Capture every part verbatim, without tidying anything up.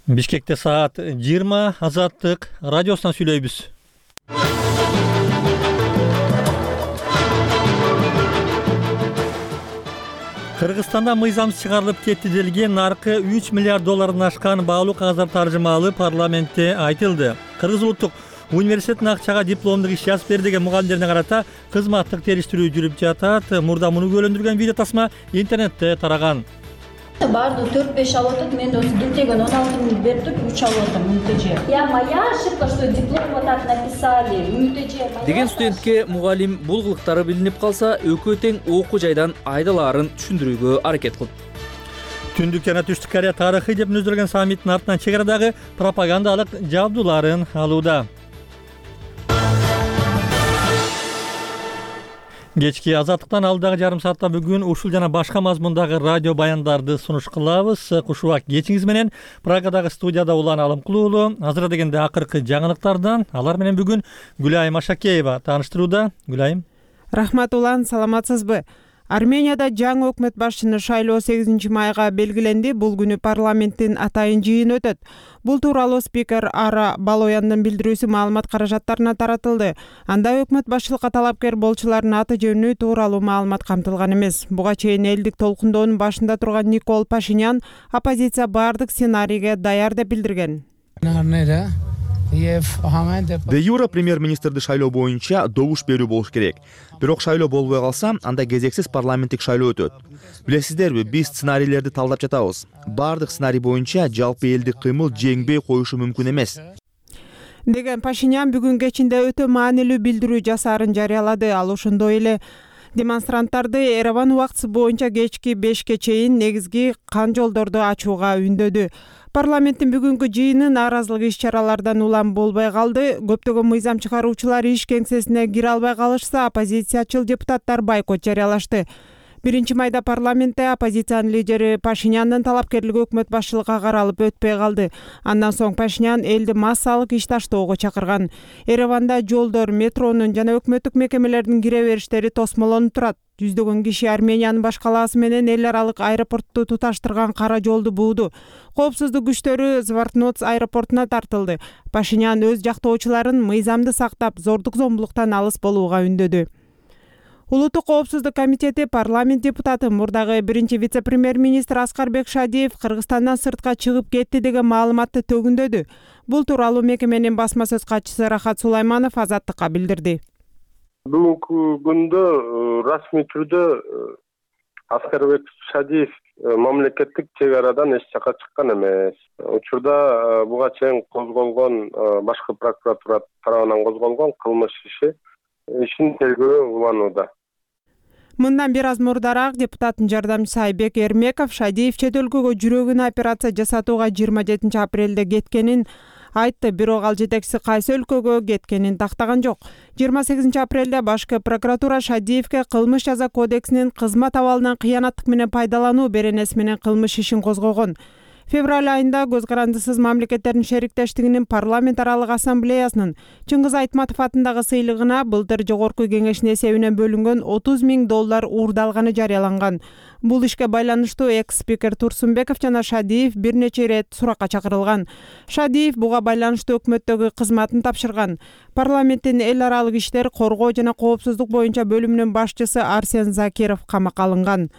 Бишкекте саат жыйырма, Азаттык радиосунан сүйлөйбүз. Кыргызстанда мыйзамсыз чыгарылып кетти делген наркы үч миллиард доллардан ашкан баалуу кагаздар таржымаалы парламентте айтылды. Кыргыз улуттук университетинин акчага дипломдук иш жазып бер деген мугалимдерине карата кызматтык териштирүү жүрүп жатат. Мурда муну күбөлөндүргөн видео тасма интернетте тараган. Баардыгы төрт беш алып атат. Мен осы диктеген он алты миң берип туруп үч алып атам МТЖ. Я моя ошибка, что диплом вот так написали. МТЖ деген студентке мугалим бул кылыктары билинип калса, экөө тең окуу жайдан айдалаарын түшүндүрүүгө аракет кылды. Түндүк жана Түштүк Корея тарыхый деп мүнөздөргөн саммиттин артынан чек арадагы пропагандалык жабдууларын алууда. Кечки Азаттыктан алдагы жарым саатта бүгүн ушул жана башка мазмундагы радио баяндарды сунуш кылабыз. Кушубак кечиңиз менен Прагадагы студияда Улан Алымкул уулу. Азыр дегенде акыркы жаңылыктардан алар менен бүгүн Гүлайым Ашакеева тааныштырууда. Гүлайым. Рахмат Улан, саламатсызбы? Арменияда жаңы өкмөт башчыны шайлоо сегизинчи майга белгиленди. Бул күнү парламенттин атайын жыйыны өтөт. Бул тууралуу спикер Ара Балояндын билдирүүсү маалымат каражаттарына таратылды. Анда өкмөт башчылыкка талапкер болчулардын аты жөнү тууралуу маалымат камтылган эмес. Буга чейин элдик толкундоонун башында турган Никол Пашинян оппозиция баардык сценарийге даяр деп билдирген. Де юра премьер-министрди шайлоо боюнча добуш берүү болуш керек. Бирок шайлоо болбой калса, анда кезексиз парламенттик шайлоо өтөт. Билесиздерби, биз сценарийлерди талдап жатабыз. Баардык сценарий боюнча жалпы элдик кыймыл жеңбей коюшу мүмкүн эмес деген Пашинян бүгүн кечинде өтө маанилүү билдирүү жасаарын жарыялады. Ал ошондой эле демонстранттарды Ереван убактысы боюнча кечки бешке чейин негизги кан жолдорду ачууга үндөдү. Парламенттин бүгүнкү жыйыны нааразылык иш-чаралардан улам болбой калды. Көптөгөн мыйзам чыгаруучулар иш кеңсесине кире албай калышса, оппозициячыл депутаттар бойкот жарыялашты. биринчи майда парламентте оппозициянын лидери Пашиняндын талапкерлиги өкмөт башчылыкка каралып өтпөй калды. Андан соң Пашинян элди массалык иш таштоого чакырган. Ереванда жолдор, метронун жана өкмөттүк мекемелердин кире бериштери тосмолонуп турат. Жүздөгөн киши Армениянын баш калаасы менен эл аралык аэропортту туташтырган кара жолду бууду. Коопсуздук күчтөрү Звартноц аэропортуна тартылды. Пашинян өз жактоочуларын мыйзамды сактап, зордук зомбулуктан алыс болууга үндөдү. Улуттук коопсуздук комитети парламент депутаты мурдагы биринчи вице-премьер-министр Аскарбек Шадиев Кыргызстандан сыртка чыгып кетти деген маалыматты төгүндөдү. Бул тууралуу мекеменин басма сөз катчысы Рахат Сулайманов Азаттыкка билдирди. Бүгүнкү күндө расмий түрдө Аскарбек Шадиев мамлекеттик чек арадан эч жака чыккан эмес. Учурда буга чейин козголгон башкы прокуратура тарабынан козголгон кылмыш иши ишин тергөө уланууда. Мындан бир аз мурдараак депутаттын жардамчысы Айбек Эрмеков Шадиев чет өлкөгө жүрөгүнө операция жасатууга жыйырма жетинчи апрелде кеткенин айтты, бирок ал жетекчиси кайсы өлкөгө кеткенин тактаган жок. жыйырма сегизинчи апрелде башкы прокуратура Шадиевке кылмыш жаза кодексинин кызмат абалынан кыянаттык менен пайдалануу беренеси менен кылмыш ишин козгогон. Февраль айында Көз карандысыз мамлекеттердин шериктештигинин парламент аралык ассамблеясынын Чыңгыз Айтматов атындагы сыйлыгына былтыр жогорку кеңештин эсебинен бөлүнгөн отуз миң доллар уурдалганы жарыяланган. Бул ишке байланыштуу экс-спикер Турсунбеков жана Шадиев бир нече ирет суракка чакырылган. Шадиев буга байланыштуу өкмөттөгү кызматын тапшырган. Парламенттин эл аралык иштер, коргоо жана коопсуздук боюнча бөлүмүнүн башчысы Арсен Закиров камакка алынган.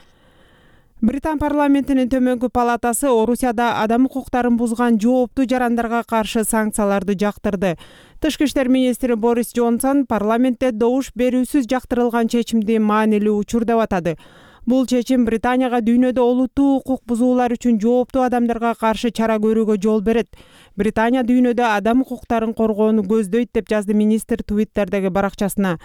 Британ парламентинин төмөнкү палатасы Орусияда адам укуктарын бузган жооптуу жарандарга каршы санкцияларды жактырды. Тышкы иштер министри Борис Джонсон парламентте добуш берүүсүз жактырылган чечимди маанилүү учур деп атады. Бул чечим Британияга дүйнөдө олуттуу укук бузуулар үчүн жооптуу адамдарга каршы чара көрүүгө жол берет. Британия дүйнөдө адам укуктарын коргоону көздөйт деп жазды министр Твиттердеги баракчасына.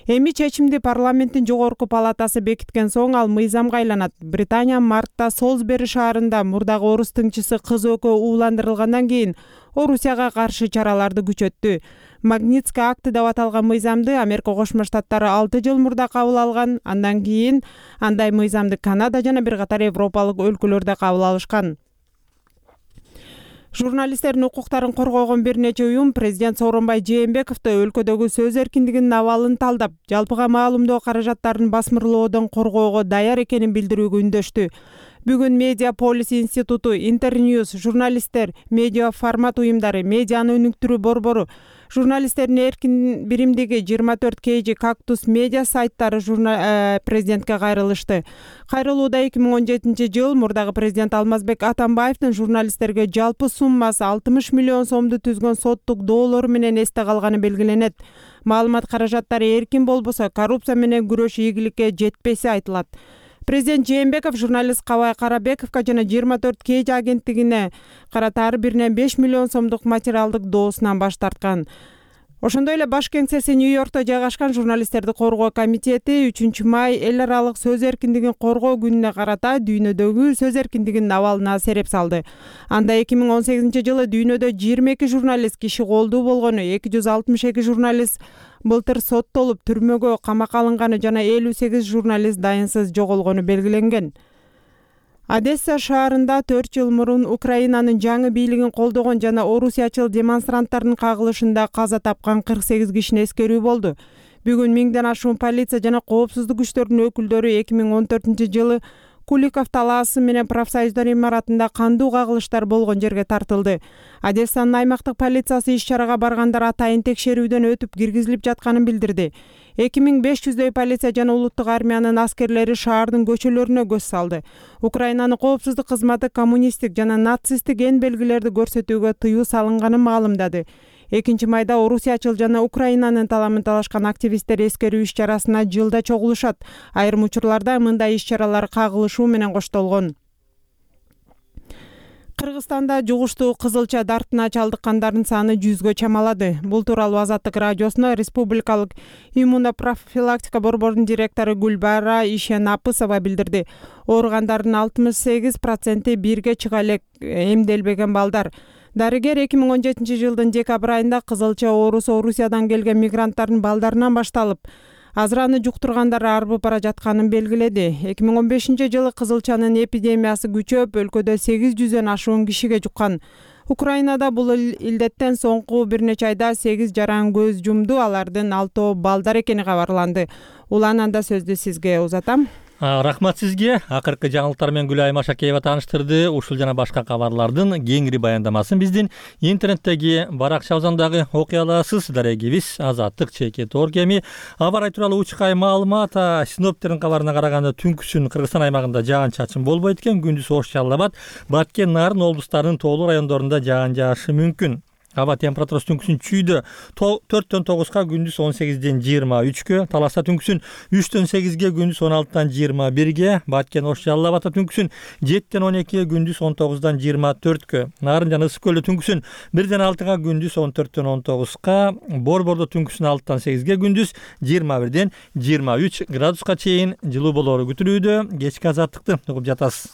Эми чечимди парламенттин жогорку палатасы бекиткен соң ал мыйзамга айланат. Британия мартта Солсбери шаарында мурдагы орус тыңчысы кыз экөө ууландырылгандан кийин Орусияга каршы чараларды күчөттү. Магнитский акты деп аталган мыйзамды Америка Кошмо Штаттары алты жыл мурда кабыл алган. Андан кийин андай мыйзамды Канада жана бир катар европалык өлкөлөрдө кабыл алышкан. Журналисттердин укуктарын коргогон бир нече уюм президент Сооронбай Жээнбековду өлкөдөгү сөз эркиндигинин абалын талдап, жалпыга маалымдоо каражаттарын басмырлоодон коргоого даяр экенин билдирүүгө үндөштү. Бүгүн Медиа Полис институту, Интерньюз, журналисттер, медиа формат уюмдары, медианы өнүктүрүү борбору, журналисттердин эркин биримдиги жыйырма төрт кей жи Кактус медиа сайттары журна... президентке кайрылышты. Кайрылууда эки миң он жетинчи жыл мурдагы президент Алмазбек Атамбаевдин журналисттерге жалпы суммасы алтымыш миллион сомду түзгөн соттук доолору менен эсте калганы белгиленет. Маалымат каражаттары эркин болбосо, коррупция менен күрөш ийгиликке жетпеси айтылат. Президент Жээнбеков журналист Кабай Карабековго жана жыйырма төрт кей жи агенттигине карата ар биринен беш миллион сомдук материалдык доосунан баш тарткан. Ошондой эле баш кеңсеси Нью-Йоркто жайгашкан журналисттерди коргоо комитети үчүнчү май эл аралык сөз эркиндигин коргоо күнүнө карата дүйнөдөгү сөз эркиндигинин абалына сереп салды. Анда эки миң он сегизинчи жылы дүйнөдө жыйырма эки журналист киши колдуу болгону, эки жүз алтымыш эки журналист былтыр соттолуп түрмөгө камакка алынганы жана элүү сегиз журналист дайынсыз жоголгону белгиленген. Одесса шаарында төрт жыл мурун Украинанын жаңы бийлигин колдогон жана орусиячыл демонстранттардын кагылышында каза тапкан кырк сегиз кишине эскерүү болду. Бүгүн миңден ашуун полиция жана коопсуздук күчтөрүнүн өкүлдөрү эки миң он төртүнчү жылы Куликов талаасы менен профсоюздар имаратында кандуу кагылыштар болгон жерге тартылды. Одессанын аймактык полициясы иш-чарага баргандар атайын текшерүүдөн өтүп киргизилип жатканын билдирди. эки миң беш жүздөй полиция жана улуттук армиянын аскерлери шаардын көчөлөрүнө көз салды. Украинанын коопсуздук кызматы коммунисттик жана нацисттик эн белгилерди көрсөтүүгө тыюу салынганын маалымдады. экинчи майда орусиячыл жана Украинанын таламын талашкан активисттер эскерүү иш-чарасына жылда чогулушат. Айрым учурларда мындай иш-чаралар кагылышуу менен коштолгон. Кыргызстанда жугуштуу кызылча дартына чалдыккандардын саны жүзгө чамалады. Бул тууралуу Азаттык радиосуна Республикалык иммунопрофилактика борборунун директору Гүлбара Ишенапысова билдирди. Ооругандардын алтымыш сегиз проценти бирге чыга элек эмделбеген балдар. Дарыгер эки миң он жетинчи жылдын декабрь айында кызылча оорусу Орусиядан келген мигранттардын балдарынан башталып, азыраны жуктургандар арбып бара жатканын белгиледи. эки миң он бешинчи жылы кызылчанын эпидемиясы күчөп, өлкөдө сегиз жүздөн ашуун кишиге жуккан. Украинада бул илдеттен соңку бир нече айда сегиз жаран көз жумду, алардын алтоо балдар экени кабарланды. Улананда сөздү сизге узатам. Рахмат сизге. Акыркы жаңылыктар менен Гүлайым Ашакеева тааныштырды. Ушул жана башка кабарлардын кеңири баяндамасын биздин интернеттеги баракчабыздагы окуя аласыз. Дарегибиз Азаттык чекит оргеми. Аба ырайы тууралуу учкай маалымат. Синоптиктердин кабарына караганда түнкүсүн Кыргызстан аймагында жаан-чачын болбойт экен. Күндүз Ош, Жалал Абад, Баткен, Нарын облустарынын тоолуу райондорунда жаан жаашы мүмкүн. Аба температурасы түнкүсүн чүйдө төрттөн тогузга, күндүз он сегизден жыйырма үчкө, Таласта түнкүсүн үчтөн сегизге, күндүз он алтыдан жыйырма бирге, Баткен, Ош, Жалал Абадта түнкүсүн жеттен он экиге, күндүз он тогуздан жыйырма төрткө, Нарын жана Ысык көлдө түнкүсүн бирден алтыга, күндүз он төрттөн он тогузга, Борбордо түнкүсүн алтыдан сегизге, күндүз жыйырма бирден жыйырма үч градуска чейин жылуу болоору күтүлүүдө. Кечки азаттыкты угуп жатасыз.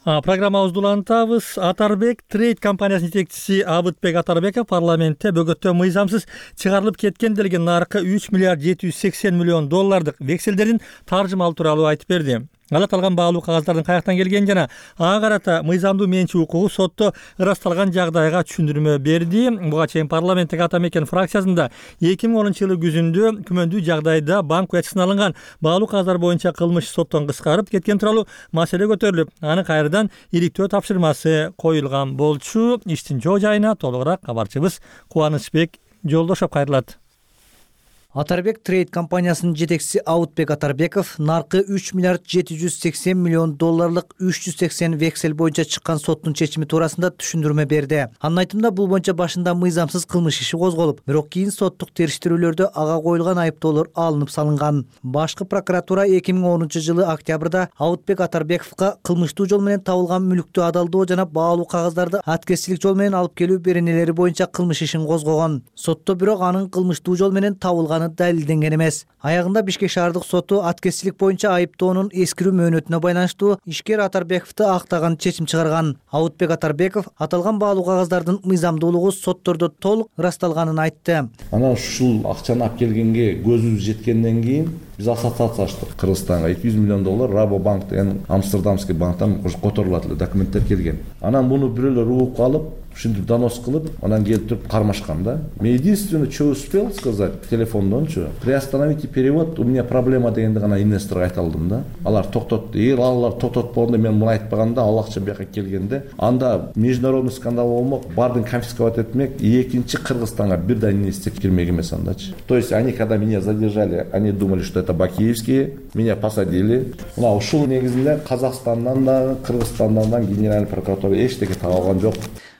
Программабызды улантабыз. Атарбек Трейд компаниясынын жетекчиси Абытбек Атарбеков парламентте бөгөттө мыйзамсыз чыгарылып кеткен делген наркы үч миллиард жети жүз сексен миллион доллардык векселдердин таржымалы тууралуу айтып берди. Ал аталган баалуу кагаздардын каяктан келгени жана ага карата мыйзамдуу менчи укугу сотто ырасталган жагдайга түшүндүрмө берди. Буга чейин парламенттик ата мекен фракциясында эки миң онунчу жылы күзүндө күмөндүү жагдайда банк уячысына алынган баалуу кагаздар боюнча кылмыш соттон кыскарып кеткен тууралуу маселе көтөрүлүп, аны кайрадан иликтөө тапшырмасы коюлган болчу. Иштин жоо жайына толугураак кабарчыбыз Кубанычбек Жолдошов кайрылат. Атарбек Трейд компаниясынын жетекчиси Абытбек Атарбеков наркы үч миллиард жети жүз сексен миллион долларлык үч жүз сексен вексель боюнча чыккан соттун чечими туурасында түшүндүрмө берди. Анын айтымында бул боюнча башында мыйзамсыз кылмыш иши козголуп, бирок кийин соттук териштирүүлөрдө ага коюлган айыптоолор алынып салынган. Башкы прокуратура эки миң онунчу жылы октябрда Абытбек Атарбековго кылмыштуу жол менен табылган мүлктү адалдоо жана баалуу кагаздарды аткезчилик жол менен алып келүү беренелери боюнча кылмыш ишин козгогон. Сотто бирок анын кылмыштуу жол менен табылган чыкканы далилденген эмес. Аягында Бишкек шаардык соту аткезчилик боюнча айыптоонун эскирүү мөөнөтүнө байланыштуу ишкер Атарбековду актаган чечим чыгарган. Аутбек Атарбеков аталган баалуу кагаздардын мыйзамдуулугу соттордо толук ырасталганын айтты. Анан ушул акчаны алып келгенге көзүбүз жеткенден кийин биз ассоциация ачтык Кыргызстанга. эки жүз миллион доллар Рабобанк деген Амстердамский банктан документтер эле документтер келген. Анан буну бирөөлөр угуп алып, ушинтип донос кылып, анан келип туруп кармашкан да. Мен единственное, что успел сказать телефондончу, приостановите перевод, у меня проблема дегенди гана инвесторго айта алдым да. Алар токтотду. Эгер алар токтотпогондо мен муну айтпаганда, ал акча бияка келгенде, анда международный скандал болмок, баардыгын конфисковать этмек, экинчи Кыргызстанга бирден инвестиция кирмек эмес андачы. То есть они, когда меня задержали, они думали, что это бакиевские, меня посадили. Мына ушул негизинде Казакстандан да, Кыргызстандан да генеральный прокуратура эчтеке таба алган жок.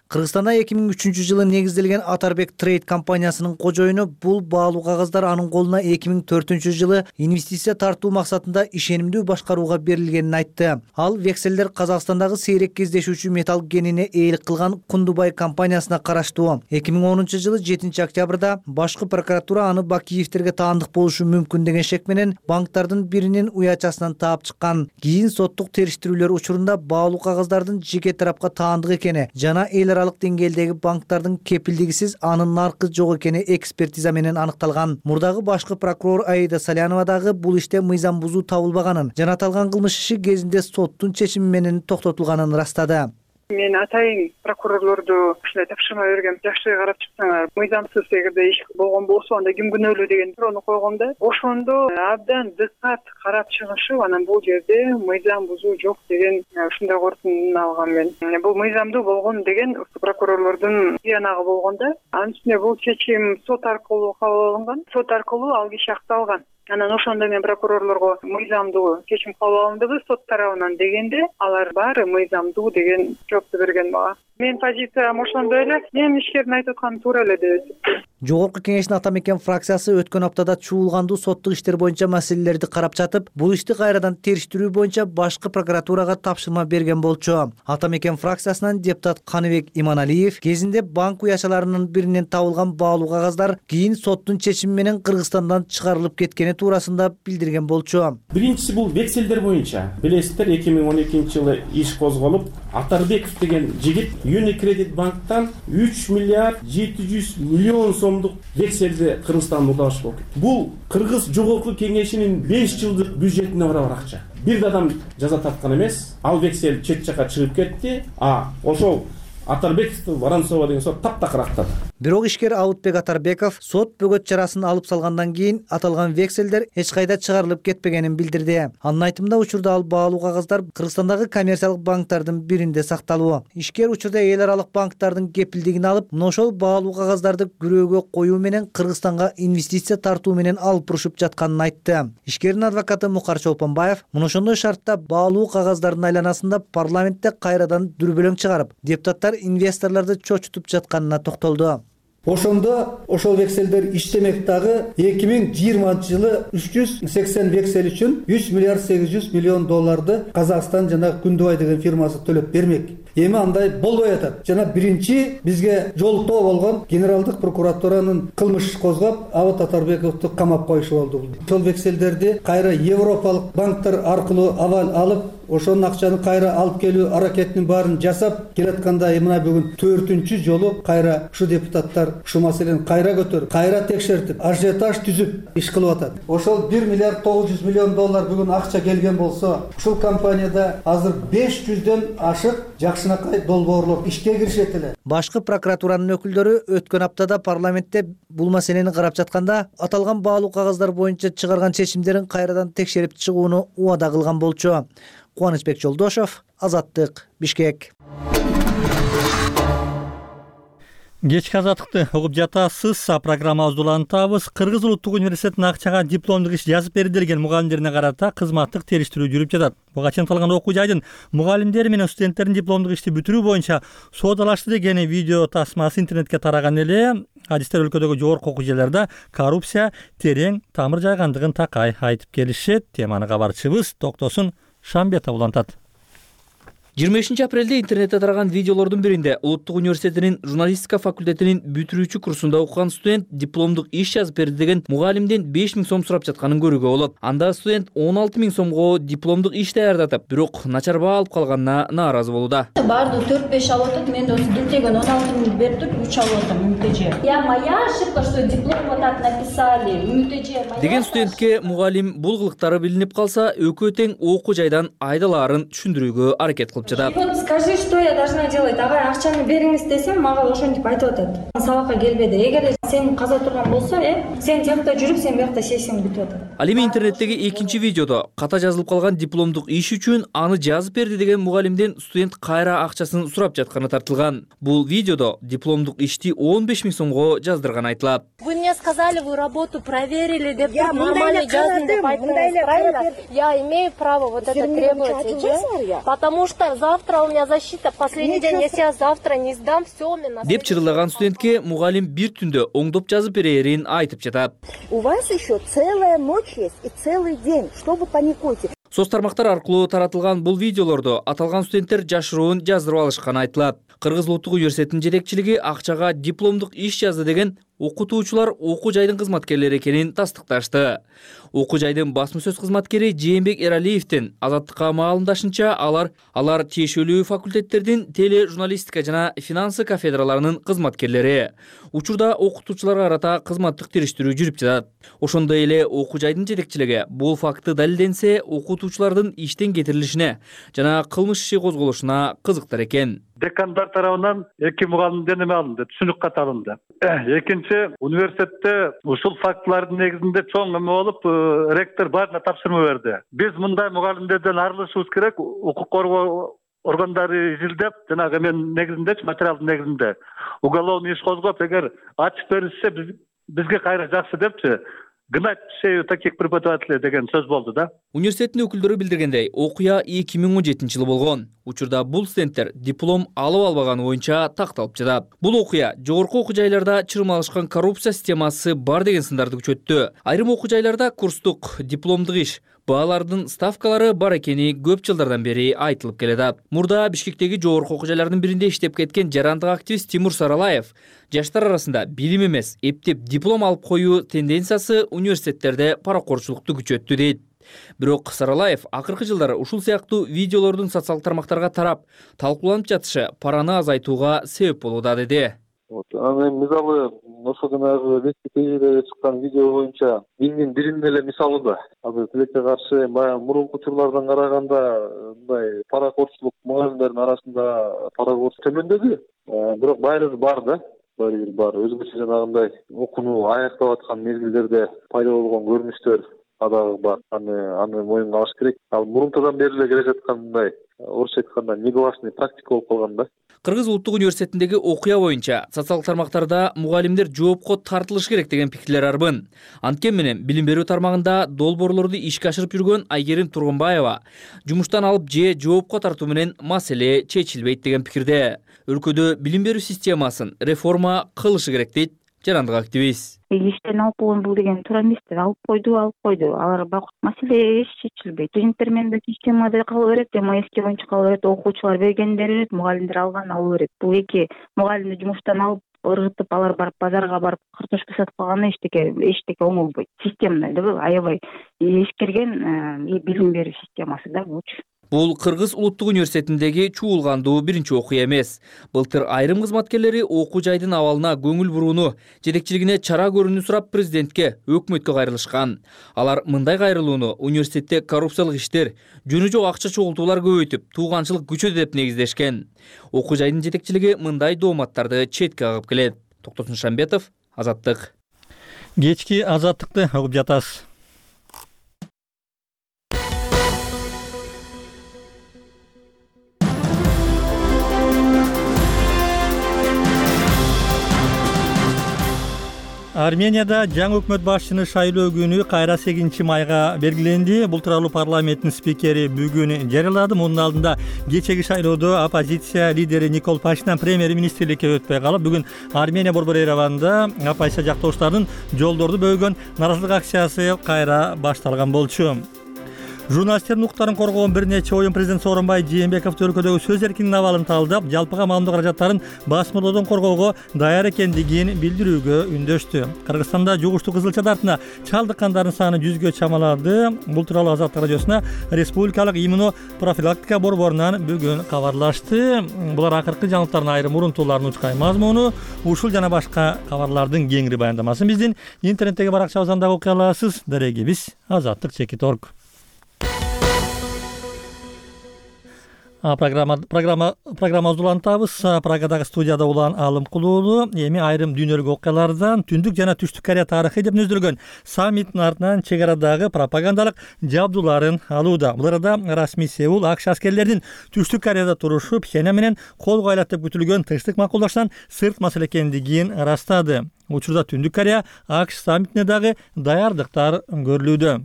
Кыргызстанда эки миң үчүнчү жылы негизделген Атарбек Трейд компаниясынын кожоюну бул баалуу кагаздар анын колуна эки миң төртүнчү жылы инвестиция тартуу максатында ишенимдүү башкарууга берилгенин айтты. Ал векселдер Казакстандагы сейрек кездешүүчү металл кенине ээлик кылган Кундубай компаниясына караштуу. эки миң онунчу жылы жетинчи октябрда башкы прокуратура аны Бакиевтерге таандык болушу мүмкүн деген шек менен банктардын биринин уячасынан таап чыккан. Кийин соттук териштирүүлөр учурунда баалуу кагаздардын жеке тарапка таандык экени жана эл аралык деңгээлдеги банктардын кепилдигисиз анын наркы жок экени экспертиза менен аныкталган. Мурдагы башкы прокурор Аида Салянова дагы бул иште мыйзам бузуу табылбаганын, жана аталган кылмыш иши кезинде соттун чечими менен токтотулганын ырастады. Мен атайын прокурорлорду ушундай тапшырма берген, жакшы карап чыксаңар, мыйзамсыз эгерде иш болгон болсо анда ким күнөөлүү деген суроону койгом да. Ошондо абдан дыкат карап чыгышып, анан бул жерде мыйзам бузуу жок деген ушундай корутундун алгам мен. Бул мыйзамдуу болгон деген прокурорлордун тиянагы болгон да. Анын үстүнө бул чечим сот аркылуу кабыл алынган. Сот аркылуу ал киши акталган. Анан ошондо мен прокурорлорго мыйзамдуу чечим кабыл алындыбы сот тарабынан дегенде, алар баары мыйзамдуу деген жоопту берген мага. Мен позициям ошондой эле, мен ишкердин айтып атканы туура эле деп эсептейм. Жогорку кеңештин ата мекен фракциясы өткөн аптада чуулгандуу соттук иштер боюнча маселелерди карап жатып, бул ишти кайрадан териштирүү боюнча башкы прокуратурага тапшырма берген болчу. Ата мекен фракциясынан депутат Каныбек Иманалиев кезинде банк уячаларынын биринен табылган баалуу кагаздар кийин соттун чечими менен Кыргызстандан чыгарылып кеткени туурасында билдирген болчу. Биринчиси бул векселдер боюнча. Билесиздер, эки миң он экинчи жылы иш козголуп, Атарбеков деген жигит Unicredit банктан үч миллиард жети жүз миллион сомдук векселди Кыргызстанга урдабаш болуп кетти. Бул Кыргыз жогорку кеңешинин беш жылдык бюджетине барабар акча. Бир да адам жаза тарткан эмес. Ал вексел чет жака чыгып кетти. А ошол Атарбековду Воронцова деген сот таптакыр актады. Бирок ишкер Аутбек Атарбеков сот бөгөт чарасын алып салгандан кийин аталган векселдер эч кайда чыгарылып кетпегенин билдирди. Анын айтымында учурда ал баалуу кагаздар Кыргызстандагы коммерциялык банктардын биринде сакталуу. Ишкер учурда эл аралык банктардын кепилдигин алып, мына ошол баалуу кагаздарды күрөөгө коюу менен Кыргызстанга инвестиция тартуу менен алып урушуп жатканын айтты. Ишкердин адвокаты Мукар Чолпонбаев мына ошондой шартта баалуу кагаздардын айланасында парламентте кайрадан дүрбөлөң чыгарып, депутаттар инвесторлорду чочутуп жатканына токтолду. Ошондо ошол векселдер иштемек дагы эки миң жыйырманчы жылы үч жүз сексен вексель үчүн үч миллиард сегиз жүз миллион долларды Казакстан жана Күндүбай деген фирмасы төлөп бермек. Эми андай болбой атат. Жана биринчи бизге жолтоо болгон генералдык прокуратуранын кылмыш козгоп, Абат Атарбековду камап коюшу болду. Ошол векселдерди кайра европалык банктар аркылуу авал алып, ошонун акчаны кайра алып келүү аракетинин баарын жасап келатканда мына бүгүн төртүнчү жолу кайра ушу депутаттар ушу маселени кайра көтөрүп, кайра текшертип, ажиотаж түзүп иш кылып атат. Ошол бир миллиард тогуз жүз миллион доллар бүгүн акча келген болсо, ушул компанияда азыр беш жүздөн ашык жакшынакай долбоорлор ишке киришет эле. Башкы прокуратуранын өкүлдөрү өткөн аптада парламентте бул маселени карап жатканда, аталган баалуу кагаздар боюнча чыгарган чечимдерин кайрадан текшерип чыгууну убада кылган болчу. Кубанычбек Жолдошов, Азаттык, Бишкек. Кечки азаттыкты угуп жатасыз. Программабызды улантабыз. Кыргыз улуттук университетинин Акчага дипломдук иш жазып берди деген мугалимдерине карата кызматтык териштирүү жүрүп жатат. Буга чейин аталган окуу жайдын мугалимдери менен студенттердин дипломдук ишти бүтүрүү боюнча соодалашты деген видео тасмасы интернетке тараган эле. Адистер өлкөдөгү жогорку окуу жайларда коррупция терең тамыр жайгандыгын такай айтып келишет. Теманы кабарчыбыз Токтосун Шамбетов улантат. жыйырма бешинчи апрелде интернетте тараган видеолордун биринде Улуттук университетинин журналистика факультетинин бүтүрүүчү курсунда окуган студент дипломдук иш жазып берди деген мугалимден беш миң сом сурап жатканын көрүүгө болот. Анда студент он алты миң сомго дипломдук иш даярдатып, бирок начар баа алып калганына нааразы болууда. Баардыгы төрт беш алып атат, мен осы дилтеген он алты миң берип туруп үч алып атам МТЖ. Я моя ошибка, что диплом вот так написали. МТЖ Деген студентке мугалим бул кылыктары билинип калса, экөө тең окуу жайдан айдалаарын түшүндүрүүгө аракет кылып жатат. Вот скажи, что я должна делать? Агай, акчаны бериңиз десем, мага ошентип айтып атат. Сабакка келбеди. Эгер сен каза турган болсо, э, сен тиякта жүрүп, сен биякта сессияң бүтүп атат. Ал эми интернеттеги экинчи видеодо ката жазылып калган дипломдук иш үчүн аны жазып берди деген мугалимден студент кайра акчасын сурап жатканы тартылган. Бул видеодо дипломдук ишти он беш миң сомго жаздырган айтылат. Вы мне сказали, вы работу проверили, деп нормально жаздым деп айттыңыз, правильно? Я имею право вот это требовать, потому что завтра у меня защита, последний день, если я завтра не сдам, все у меня. Деп чырылаган студентке мугалим бир түндө оңдоп жазып берерин айтып жатат. У вас еще целая ночь есть и целый день, что вы паникуете? Соц тармактар аркылуу таратылган бул видеолордо аталган студенттер жашыруун жаздырып алышканы айтылат. Кыргыз Улуттук университетинин жетекчилиги акчага дипломдук иш жазды деген окутуучулар окуу жайдын кызматкерлери экенин тастыкташты. Окуу жайдын басма сөз кызматкери Жээнбек Эралиевдин Азаттыкка маалымдашынча, алар алар тиешелүү факультеттердин теле журналистика жана финансы кафедраларынын кызматкерлери. Учурда окутуучуларга карата кызматтык териштирүү жүрүп жатат. Ошондой эле окуу жайдын жетекчилиги бул факты далилденсе, окутуучулардын иштен кетирилишине жана кылмыш иши козголушуна кызыктар экен. Декандар тарабынан эки мугалимден эме алынды, түшүнүк кат алынды. Экинчи, университетте ушул фактылардын негизинде чоң эме болуп, ректор баарына тапшырма берди. Биз мындай мугалимдерден арылышыбыз керек, укук коргоо органдары изилдеп, жанагы эменин негизинде, материалдын негизинде уголовный иш козгоп, эгер ачып берилсе, бизге кайра жакшы депчи, гнать шею таких преподавателей деген сөз болду да. Университеттин өкүлдөрү билдиргендей, окуя эки миң он жетинчи жылы болгон. Учурда бул студенттер диплом алып албаганы боюнча такталып жатат. Бул окуя жогорку окуу жайларда чырмалышкан коррупция системасы бар деген сындарды күчөттү. Айрым окуу жайларда курстук, дипломдук иш, баалардын ставкалары бар экени көп жылдардан бери айтылып келет. Мурда Бишкектеги жогорку окуу жайлардын биринде иштеп кеткен жарандык активист Тимур Саралаев жаштар арасында билим эмес, эптеп диплом алып коюу тенденциясы университеттерде паракорчулукту күчөттү дейт. Бирок Саралаев акыркы жылдары ушул сыяктуу видеолордун социалдык тармактарга тарап, талкууланып жатышы параны азайтууга себеп болууда деди. Вот, аны мисалы ошо жанагы Википедияда чыккан видео боюнча биздин биринин эле мисалы да. Азыр тилекке каршы баягы мурунку учурлардан караганда мындай паракорчулук мугалимдердин арасында паракорчулук төмөндөдү. Бирок байыры бар да. Байыры бар. Өзгөчө жанагындай окууну аяктап аткан мезгилдерде пайда болгон көрүнүштөр дагы бар. Аны аны моюнга алыш керек. Ал мурунтадан бери эле келе жаткан мындай орусча айтканда негласный практика болуп калган да. Кыргыз Улуттук университетиндеги окуя боюнча социалдык тармактарда мугалимдер жоопко тартылышы керек деген пикирлер арбын. Анткени менен билим берүү тармагында долбоорлорду ишке ашырып жүргөн Айгерим Тургунбаева жумуштан алып же жоопко тартуу менен маселе чечилбейт деген пикирде. Өлкөдө билим берүү системасын реформа кылышы керек дейт жарандык активист. Иштен алып койгон бул деген туура эмес. Алып койду, алып койду. Алар бак маселе эч чечилбейт. Студенттер менен системада кала берет, эми эски боюнча кала берет, окуучулар бергендер берет, мугалимдер алган ала берет. Бул эки мугалимди жумуштан алып ыргытып, алар барып базарга барып картошка сатып калганы эчтеке эчтеке оңолбойт. Системный да аябай эскерген билим берүү системасы да булчу. Бул Кыргыз Улуттук университетиндеги чуулгандуу биринчи окуя эмес. Былтыр айрым кызматкерлери окуу жайдын абалына көңүл бурууну, жетекчилигине чара көрүүнү сурап президентке, өкмөткө кайрылышкан. Алар мындай кайрылууну университетте коррупциялык иштер, жөнү жок акча чогултуулар көбөйтүп, тууганчылык күчөдү деп негиздешкен. Окуу жайдын жетекчилиги мындай дооматтарды четке кагып келет. Токтосун Шамбетов, Азаттык. Кечки Азаттыкты угуп жатасыз. Арменияда жаңы өкмөт башчыны шайлоо күнү кайра сегизинчи майга белгиленди. Бул тууралуу парламенттин спикери бүгүн жарыялады. Мунун алдында кечеги шайлоодо оппозиция лидери Никол Пашинян премьер-министрликке өтпөй калып, бүгүн Армения борбор Ереванда оппозиция жактоошторунун жолдорду бөгөн нааразылык акциясы кайра башталган болчу. Журналисттердин укуктарын коргоон бир нече оюн президент Сооронбай Жээнбеков өлкөдөгү сөз эркиндигинин абалын талдап, жалпыга маалымдоо каражаттарын басмырлоодон коргоого даяр экендигин билдирүүгө үндөштү. Кыргызстанда жугуштуу кызылча дартына чалдыккандардын саны жүзгө чамалады. Бул тууралуу Азаттык радиосуна Республикалык иммуно профилактика борборунан бүгүн кабарлашты. Булар акыркы жаңылыктардын айрым урунтууларынын учкай мазмуну, ушул жана башка кабарлардын кеңири баяндамасын биздин интернеттеги баракчабыздан дагы окуй аласыз. Дарегибиз азаттык чекит точка орг. Программа программа программабызды улантабыз. Прагадагы студияда улан Алымкулуулу эми айрым дүйнөлүк окуялардан Түндүк жана Түштүк Корея тарыхы деп нөздөлгөн саммиттин артынан чек арадагы пропагандалык жабдууларын алууда. Бул арада расмий Сеул АКШ аскерлеринин Түштүк Кореяда турушу Пхеньян менен кол коюлат деп күтүлгөн тынчтык макулдаштан сырт маселе экендигин ырастады. Учурда Түндүк Корея АКШ саммитине дагы даярдыктар көрүлүүдө.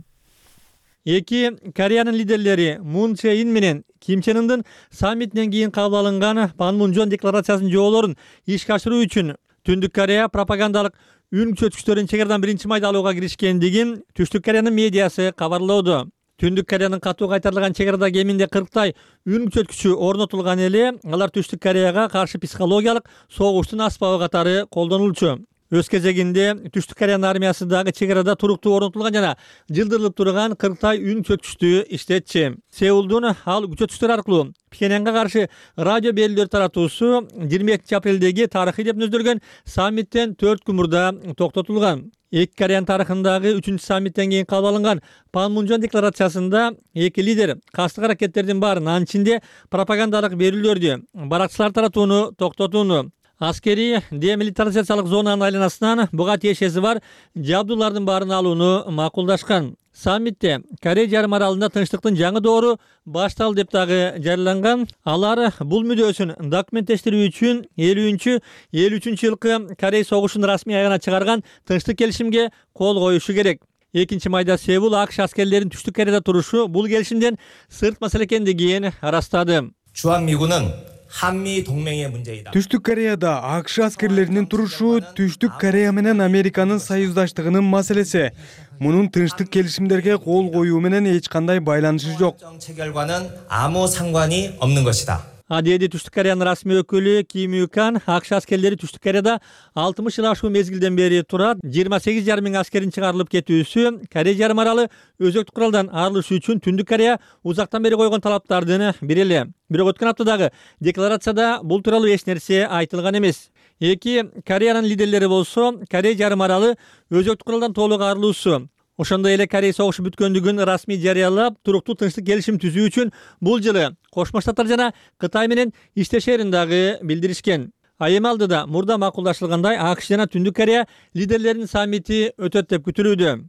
Эки Кореянын лидерлери Мун Чжэ Ин менен Ким Чен Ындын саммитинен кийин кабыл алынган Панмунжон декларациясынын жоболорун ишке ашыруу үчүн Түндүк Корея пропагандалык үн күчөткүчтөрүн чек арадан биринчи майда алууга киришкендигин Түштүк Кореянын медиасы кабарлоодо. Түндүк Кореянын катуу кайтарылган чек арада кеминде кырктай үн күчөткүчү орнотулган эле, алар Түштүк Кореяга каршы психологиялык согуштун аспабы катары колдонулчу. Өз кезегинде Түштүк Кореянын армиясы дагы чек арада туруктуу орнотулган жана жылдырылып турган кырктай үн күчөткүчтү иштетчи. Сеулдун ал күчөткүчтөр аркылуу Пхеньянга каршы радио берүүлөр таратуусу жыйырма экинчи апрелдеги тарыхый деп нөздөлгөн саммиттен төрт күн мурда токтотулган. Эки Кореянын тарыхындагы үчүнчү саммиттен кийин кабыл алынган Панмунжон декларациясында эки лидер кастык аракеттердин баарын, анын ичинде пропагандалык берүүлөрдү, баракчылар таратууну токтотууну, аскери демилитаризациялык зонанын айланасынан буга тиешеси бар жабдуулардын баарын алууну макулдашкан. Саммитте Корея жарым аралында тынчтыктын жаңы доору башталды деп дагы жарыяланган. Алар бул мүдөөсүн документтештирүү үчүн элүүнчү элүү үчүнчү жылкы Корея согушун расмий аягына чыгарган тынчтык келишимге кол коюшу керек. экинчи майда Сеул АКШ аскерлеринин Түштүк Кореяда турушу бул келишимден сырт маселе экендигин ырастады. 주한미군은 한미 동맹의 문제이다. Түштүк Кореяда АКШ аскерлеринин турушу Түштүк Корея менен Американын союздаштыгынын маселеси. Мунун тынчтык келишимдерге кол коюу менен эч кандай байланышы жок. 체결과는 아무 상관이 없는 것이다. Адеди Түштүк Кореянын расмий өкүлү Ким Ю Кан АКШ аскерлери Түштүк Кореяда алтымыш жыл ашуу мезгилден бери турат. жыйырма сегиз жарым миң аскерин чыгарылып кетүүсү Корея жарым аралы өзөктүк куралдан арылышы үчүн Түндүк Корея узактан бери койгон талаптардын бири эле. Бирок өткөн аптадагы декларацияда бул тууралуу эч нерсе айтылган эмес. Эки Кореянын лидерлери болсо Корея жарым аралы өзөктүк куралдан толук арылуусу, ошондой эле Корея согушу бүткөндүгүн расмий жарыялап, туруктуу тынчтык келишим түзүү үчүн бул жылы Кошмо Штаттар жана Кытай менен иштешерин дагы билдиришкен. А эми алдыда мурда макулдашылгандай АКШ жана Түндүк Корея лидерлеринин саммити өтөт деп күтүлүүдө.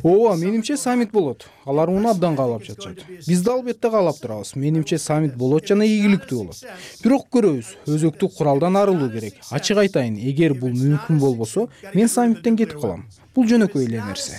Ооба, менимче саммит болот. Алар муну абдан каалап жатышат. Биз да албетте каалап турабыз. Менимче саммит болот жана ийгиликтүү болот. Бирок көрөбүз, өзөктүк куралдан арылуу керек. Ачык айтайын, эгер бул мүмкүн болбосо, мен саммиттен кетип калам. Бул жөнөкөй эле нерсе.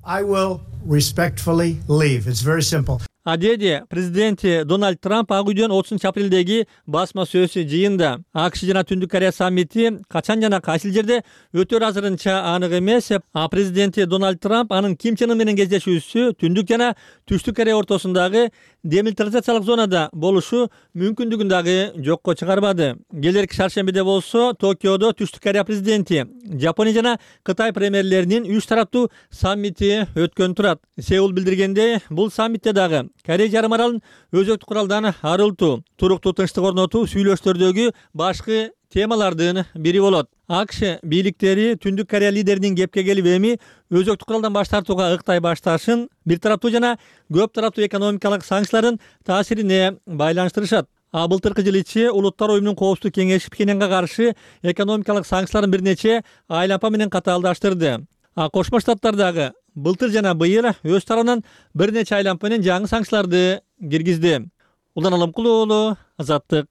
I will respectfully leave. It's very simple. Адеди президенти Дональд Трамп Ак үйдөн отузунчу апрелдеги басма сөз жыйында АКШ жана Түндүк Корея саммити качан жана кайсыл жерде өтөр азырынча анык эмес. А президенти Дональд Трамп анын Ким Чен Ын менен кездешүүсү Түндүк жана Түштүк Корея ортосундагы демилитаризациялык зонада болушу мүмкүндүгүн дагы жокко чыгарбады. Келерки шаршембиде болсо Токиодо Түштүк Корея президенти, Жапония жана Кытай премьерлеринин үч тараптуу саммити өткөн турат. Сеул билдиргендей, бул саммитте дагы Корея жарым аралын өзөктүк куралдан арылтуу, туруктуу тынчтык орнотуу сүйлөштөрдөгү башкы темалардын бири болот. АКШ бийликтери Түндүк Корея лидеринин кепке келип эми өзөктүк куралдан баш тартууга ыктай башташын бир тараптуу жана көп тараптуу экономикалык санкциялардын таасирине байланыштырышат. А былтыркы жыл ичи Улуттар оюмунун коопсуздук кеңеши Пхеньянга каршы экономикалык санкцияларын бир нече айлампа менен катаалдаштырды. А Кошмо Штаттардагы былтыр жана быйыл өз тарабынан бир нече айлампа менен жаңы санкцияларды киргизди. Улан Алымкулуулу, Азаттык.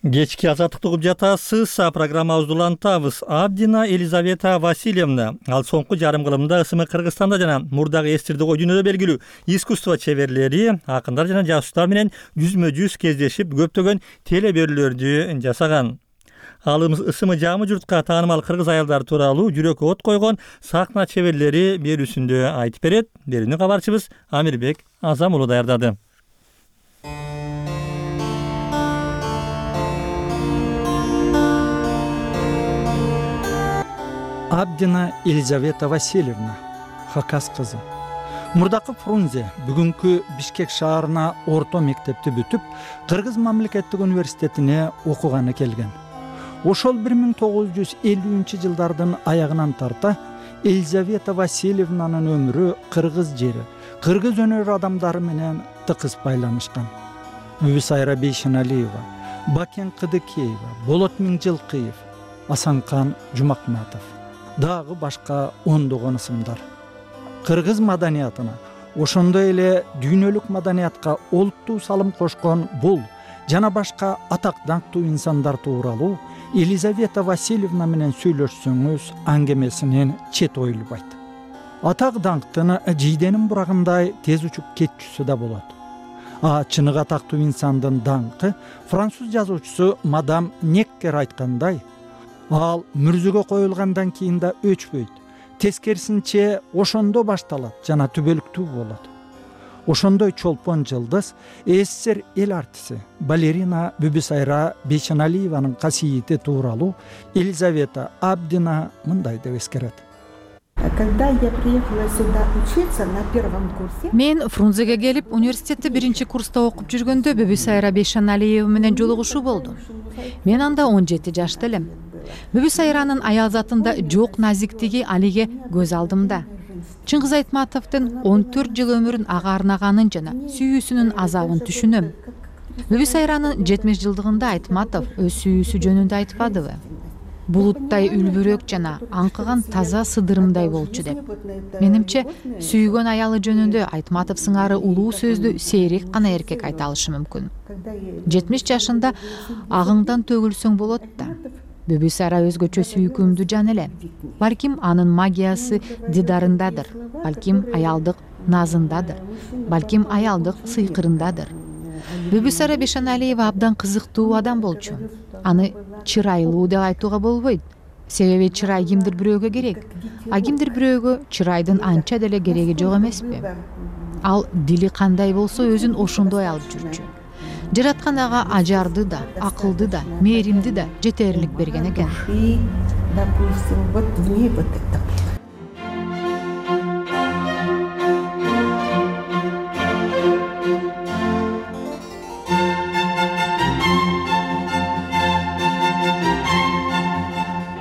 Кечки азаттыкты угуп жатасыз. Программабызды улантабыз. Абдина Елизавета Васильевна. Ал соңку жарым кылымда ысымы Кыргызстанда жана мурдагы эстирди ой дүйнөдө белгилүү искусство чеберлери, акындар жана жазуучулар менен жүзмө жүз кездешип, көптөгөн телеберүүлөрдү жасаган. Ал ысымы жамы журтка таанымал кыргыз аялдары тууралуу жүрөккө от койгон сахна чеберлери берүүсүндө айтып берет. Берүүнү кабарчыбыз Амирбек Азам уулу даярдады. Абдина Елизавета Васильевна, Хакас кызы. Мурдакы Фрунзе бүгүнкү Бишкек шаарына орто мектепти бүтүп, Кыргыз мамлекеттик университетине окуганы келген. Ошол бир миң тогуз жүз элүүнчү жылдардын аягынан тарта Елизавета Васильевнанын өмүрү кыргыз жери, кыргыз өнөр адамдары менен тыкыз байланышкан. Мүбүсайра Бейшеналиева, Бакен Кыдыкеева, Болот Миңжилкыев, Асанкан Жумакматов, дагы башка ондогон ысымдар. Кыргыз маданиятына, ошондой эле дүйнөлүк маданиятка олуттуу салым кошкон бул жана башка атак даңктуу инсандар тууралуу Елизавета Васильевна менен сүйлөшсөңүз аңгемесинен чет оюлбайт. Атак даңктын жийденин бурагындай тез учуп кетчүсү да болот. А чыныгы атактуу инсандын даңкы француз жазуучусу мадам Неккер айткандай, ал мүрзөгө коюлгандан кийин да өчпөйт. Тескерисинче ошондо башталат жана түбөлүктүү болот. Ошондой чолпон жылдыз СССР эл артиси балерина Мүбүсайра Бейшеналиеванын касиети тууралуу Елизавета Абдина мындай деп эскерет. Когда я приехала сюда учиться на первом курсе, мен Фрунзеге келип университетте биринчи курста окуп жүргөндө Мүбүсайра Бейшеналиева менен жолугушуу болду. Мен анда он жети жашта элем. Мүбүсайранын аял затында жок назиктиги алиге көз алдымда. Чыңгыз Айтматовдун он төрт жыл өмүрүн ага арнаганын жана сүйүүсүнүн азабын түшүнөм. Мүбүсайранын жетимиш жылдыгында Айтматов өз сүйүүсү жөнүндө айтпадыбы? Булуттай үлбүрөк жана аңкыган таза сыдырымдай болчу деп. Менимче, сүйгөн аялы жөнүндө Айтматов сыңары улуу сөздү сейрек гана эркек айта алышы мүмкүн. жетимиш жашында агыңдан төгүлсөң болот да. Мүбүсайра өзгөчө сүйкүмдүү жан эле. Балким анын магиясы дидарындадыр, балким аялдык назындадыр, балким аялдык сыйкырындадыр. Мүбүсайра Бейшеналиева абдан кызыктуу адам болчу. Аны чырайлуу деп айтууга болбойт. Себеби чырай кимдир бирөөгө керек, а кимдир бирөөгө чырайдын анча деле кереги жок эмеспи? Ал дили кандай болсо өзүн ошондой алып жүрчү. Жараткан ага ажарды да, акылды да, мээримди да жетерлик берген экен.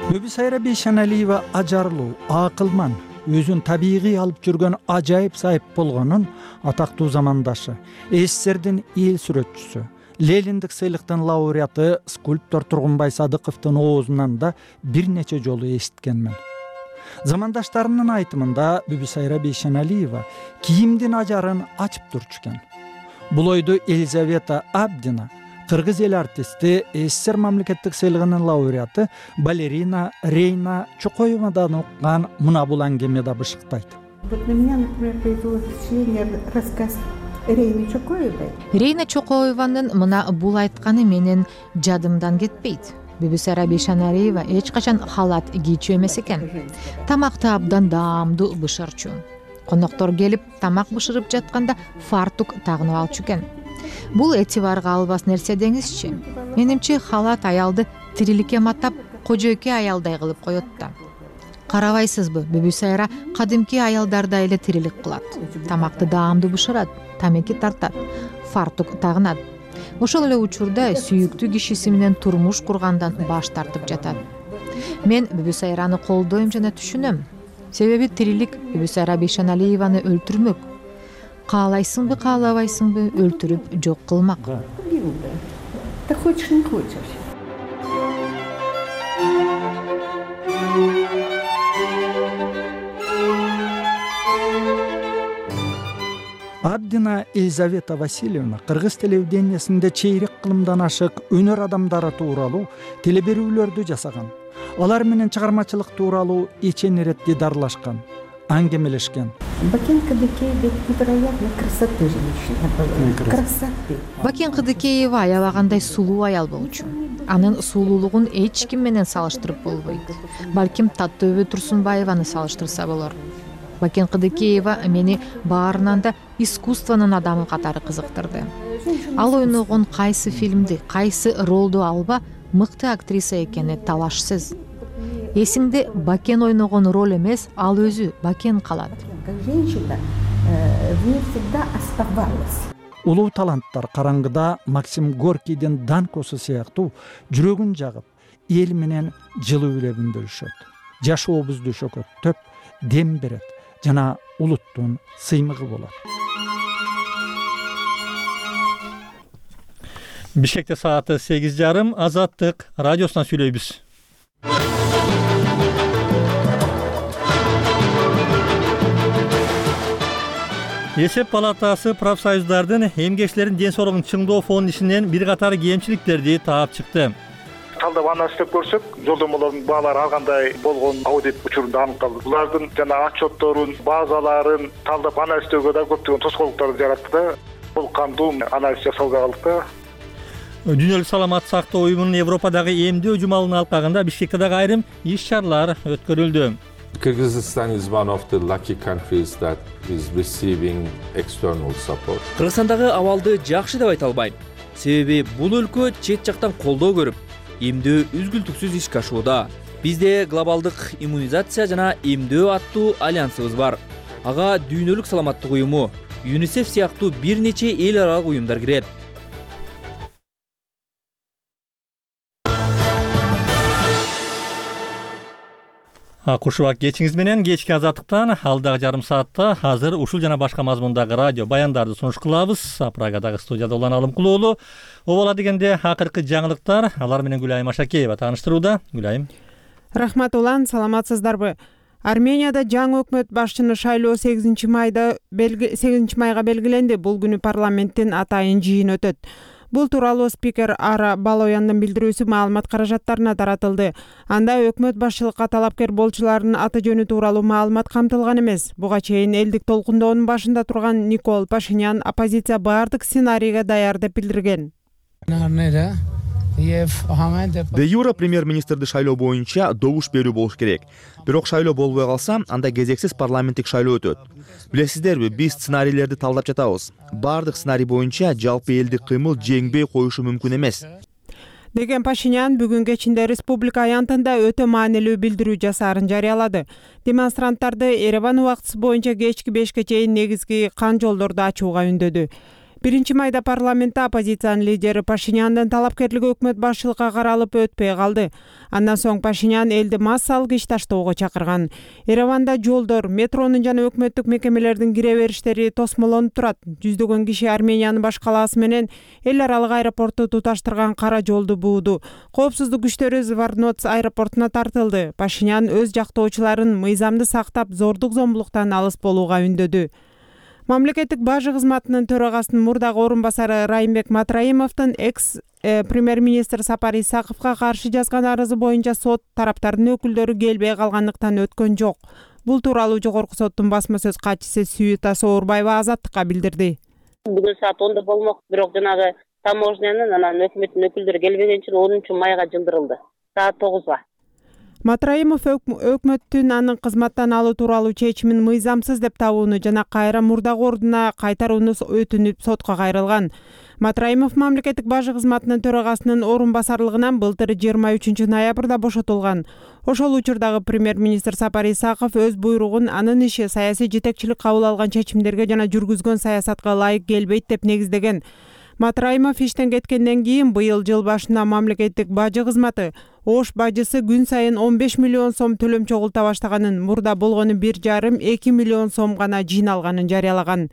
Мүбүсайра Бейшеналиева ажарлуу, акылман, өзүн табигый алып жүргөн ажайып сайып болгонун атактуу замандашы, СССРдин эл сүрөтчүсү, Лениндик сыйлыктын лауреаты скульптор Тургунбай Садыковдун оозунан да бир нече жолу эситкенмин. Замандаштарынын айтымында Мүбүсайра Бейшеналиева кийимдин ажарын ачып турчу экен. Бул ойду Елизавета Абдина, кыргыз эл артисти, СССР мамлекеттик сыйлыгынын лауреаты балерина Рейна Чокоевадан уккан мына бул аңгеме да бышыктайт. Вот на меня, например, произвело впечатление рассказ Рейны Чокоевой. Рейна Чокоеванын мына бул айтканы менен жадымдан кетпейт. Мүбүсайра Бейшеналиева эч качан халат кийчү эмес экен. Тамакты абдан даамдуу бышырчу. Коноктор келип тамак бышырып жатканда фартук тагынып алчу экен. Бул этибарга албас нерсе деңизчи. Менимче халат аялды тириликке матап кожойке аялдай кылып коет да. Карабайсызбы, Мүбүсайра кадимки аялдардай эле тирилик кылат. Тамакты даамдуу бышырат, тамеки тартат, фартук тагынат. Ошол эле учурда сүйүктүү кишиси менен турмуш кургандан баш тартып жатат. Мен Мүбүсайраны колдойм жана түшүнөм. Себеби тирилик Мүбүсайра Бейшеналиеваны өлтүрмөк. Каалайсыңбы, каалабайсыңбы, өлтүрүп жок кылмак. Ты хочешь, не хочешь. Абдина Елизавета Васильевна кыргыз телевидениясында чейрек кылымдан ашык өнөр адамдары тууралуу телеберүүлөрдү жасаган. Алар менен чыгармачылык тууралуу эчен ирет дидарлашкан, аңгемелешкен. Бакен Кадыкеева невероятной красоты женщина была. Красоты. Бакен Кадыкеева аябагандай сулуу аял болчу. Анын сулуулугун эч ким менен салыштырып болбойт. Балким Таттөбө Турсунбаеваны салыштырса болор. Бакен Кадыкеева мени баарынан да искусствонун адамы катары кызыктырды. Ал ойногон кайсы фильмди, кайсы ролду алба мыкты актриса экени талашсыз. Эсиңде Бакен ойногон роль эмес, ал өзү Бакен калат. Как женщина в ней всегда оставалась. Улуу таланттар караңгыда Максим Горкийдин Данкосу сыяктуу жүрөгүн жагып, эл менен жылуу үлебин бөлүшөт. Жашообузду шөкөттөп, дем берет жана улуттун сыймыгы болот. Бишкекте сааты сегиз жарым, Азаттык радиосунан сүйлөйбүз. Эсеп палатасы профсоюздардын эмгекчилердин ден соолугун чыңдоо фонд ишинен бир катар кемчиликтерди таап чыкты. Талдап анализдеп көрсөк, жолдомолордун баалары ар кандай болгон аудит учурунда аныкталды. Булардын жана отчетторун, базаларын талдап анализдөөгө да көптөгөн тоскоолдуктарды жаратты да. Бул кандуу анализ жасалбай калдык да. Дүйнөлүк саламаттык сактоо уюмунун Европадагы эмдөө жумалынын алкагында Бишкекте дагы айрым иш-чаралар өткөрүлдү. Kyrgyzstan is one of the lucky countries that is receiving external support. Кыргызстандагы абалды жакшы деп айта албайм. Себеби бул өлкө чет жактан колдоо көрүп, эмдөө үзгүлтүксүз ишке ашууда. Бизде глобалдык иммунизация жана эмдөө аттуу альянсыбыз бар. Ага дүйнөлүк саламаттык уюму, ЮНИСЕФ сыяктуу бир нече эл аралык уюмдар кирет. Кушубак кечиңиз менен кечки Азаттыктан алдагы жарым саатта азыр ушул жана башка мазмундагы радио баяндарды сунуш кылабыз. Прагадагы студияда Улан Алымкулуулу. Обола дегенде акыркы жаңылыктар, алар менен Гүлайым Ашакеева тааныштырууда. Гүлайым. Рахмат Улан, саламатсыздарбы? Арменияда жаңы өкмөт башчыны шайлоо сегизинчи майда сегизинчи майга белгиленди. Бул күнү парламенттин атайын жыйын өтөт. Бул тууралуу спикер Ара Балояндын билдирүүсү маалымат каражаттарына таратылды. Анда өкмөт башчылыкка талапкер болчулардын аты жөнү тууралуу маалымат камтылган эмес. Буга чейин элдик толкундоонун башында турган Никол Пашинян оппозиция баардык сценарийге даяр деп билдирген. Де юра премьер-министрди шайлоо боюнча добуш берүү болуш керек. Бирок шайлоо болбой калса, анда кезексиз парламенттик шайлоо өтөт. Билесиздерби, биз сценарийлерди талдап жатабыз. Бардык сценарий боюнча жалпы элдик кыймыл жеңбей коюшу мүмкүн эмес. Деген Пашинян бүгүн кечинде республика аянтында өтө маанилүү билдирүү жасаарын жарыялады. Демонстранттарды Ереван убактысы боюнча кечки бешке чейин негизги кан жолдорду ачууга үндөдү. биринчи майда парламентте оппозициянын лидери Пашиняндын талапкерлиги өкмөт башчылыкка каралып өтпөй калды. Андан соң Пашинян элди массалык иш таштоого чакырган. Ереванда жолдор, метронун жана өкмөттүк мекемелердин кире бериштери тосмолонуп турат. Жүздөгөн киши Армениянын баш калаасы менен эл аралык аэропортту туташтырган кара жолду бууду. Коопсуздук күчтөрү Зварноц аэропортуна тартылды. Пашинян өз жактоочуларын мыйзамды сактап, зордук зомбулуктан алыс болууга үндөдү. Мамлекеттик бажы кызматынын төрагасынын мурдагы орун басары Райымбек Матраимовдун экс премьер-министр Сапар Исаковго каршы жазган арызы боюнча сот тараптардын өкүлдөрү келбей калгандыктан өткөн жок. Бул тууралуу жогорку соттун басма сөз катчысы Сүйүта Соорбаева Азаттыкка билдирди. Бүгүн саат онда болмок, бирок жанагы таможнянын анан өкмөттүн өкүлдөрү келбеген үчүн онунчу майга жылдырылды. Саат тогузга. Матраимов өкмөттүн анын кызматтан алуу тууралуу чечимин мыйзамсыз деп табууну жана кайра мурдагы ордуна кайтарууну өтүнүп сотко кайрылган. Матраимов мамлекеттик бажы кызматынын төрагасынын орун басарлыгынан былтыр жыйырма үчүнчү ноябрда бошотулган. Ошол учурдагы премьер-министр Сапар Исаков өз буйругун анын иши саясий жетекчилик кабыл алган чечимдерге жана жүргүзгөн саясатка ылайык келбейт деп негиздеген. Матраимов иштен кеткенден кийин быйыл жыл башында мамлекеттик бажы кызматы Ош бажысы күн сайын он беш миллион сом төлөм чогулта баштаганын, мурда болгону бир жарым эки миллион сом гана жыйналганын жарыялаган.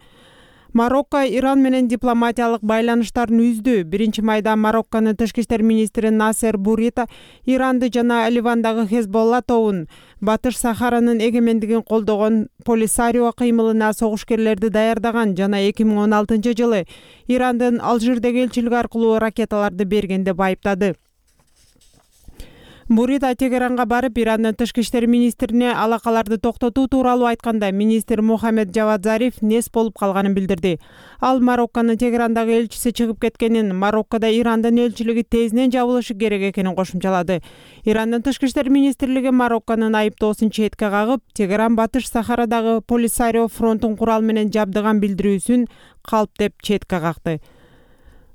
Марокко Иран менен дипломатиялык байланыштарын үздү. Биринчи майда Марокконун тышкы иштер министри Насер Бурита Иранды жана Ливандагы Хезболла тобун Батыш Сахаранын эгемендигин колдогон Полисарио кыймылына согушкерлерди даярдаган жана эки миң он алтынчы жылы Ирандын Алжирдеги элчилиги аркылуу ракеталарды берген деп айыптады. Бурита Тегеранга барып, Ирандын тышкы иштер министрине алакаларды токтотуу тууралуу айтканда, министр Мухаммед Джавад Зариф нес болуп калганын билдирди. Ал Марокконун Тегерандагы элчиси чыгып кеткенин, Мароккодо Ирандын элчилиги тезинен жабылышы керек экенин кошумчалады. Ирандын тышкы иштер министрлиги Марокконун айыптоосун четке кагып, Тегеран Батыш Сахарадагы Полисарио фронтун курал менен жабдыган билдирүүсүн калп деп четке какты.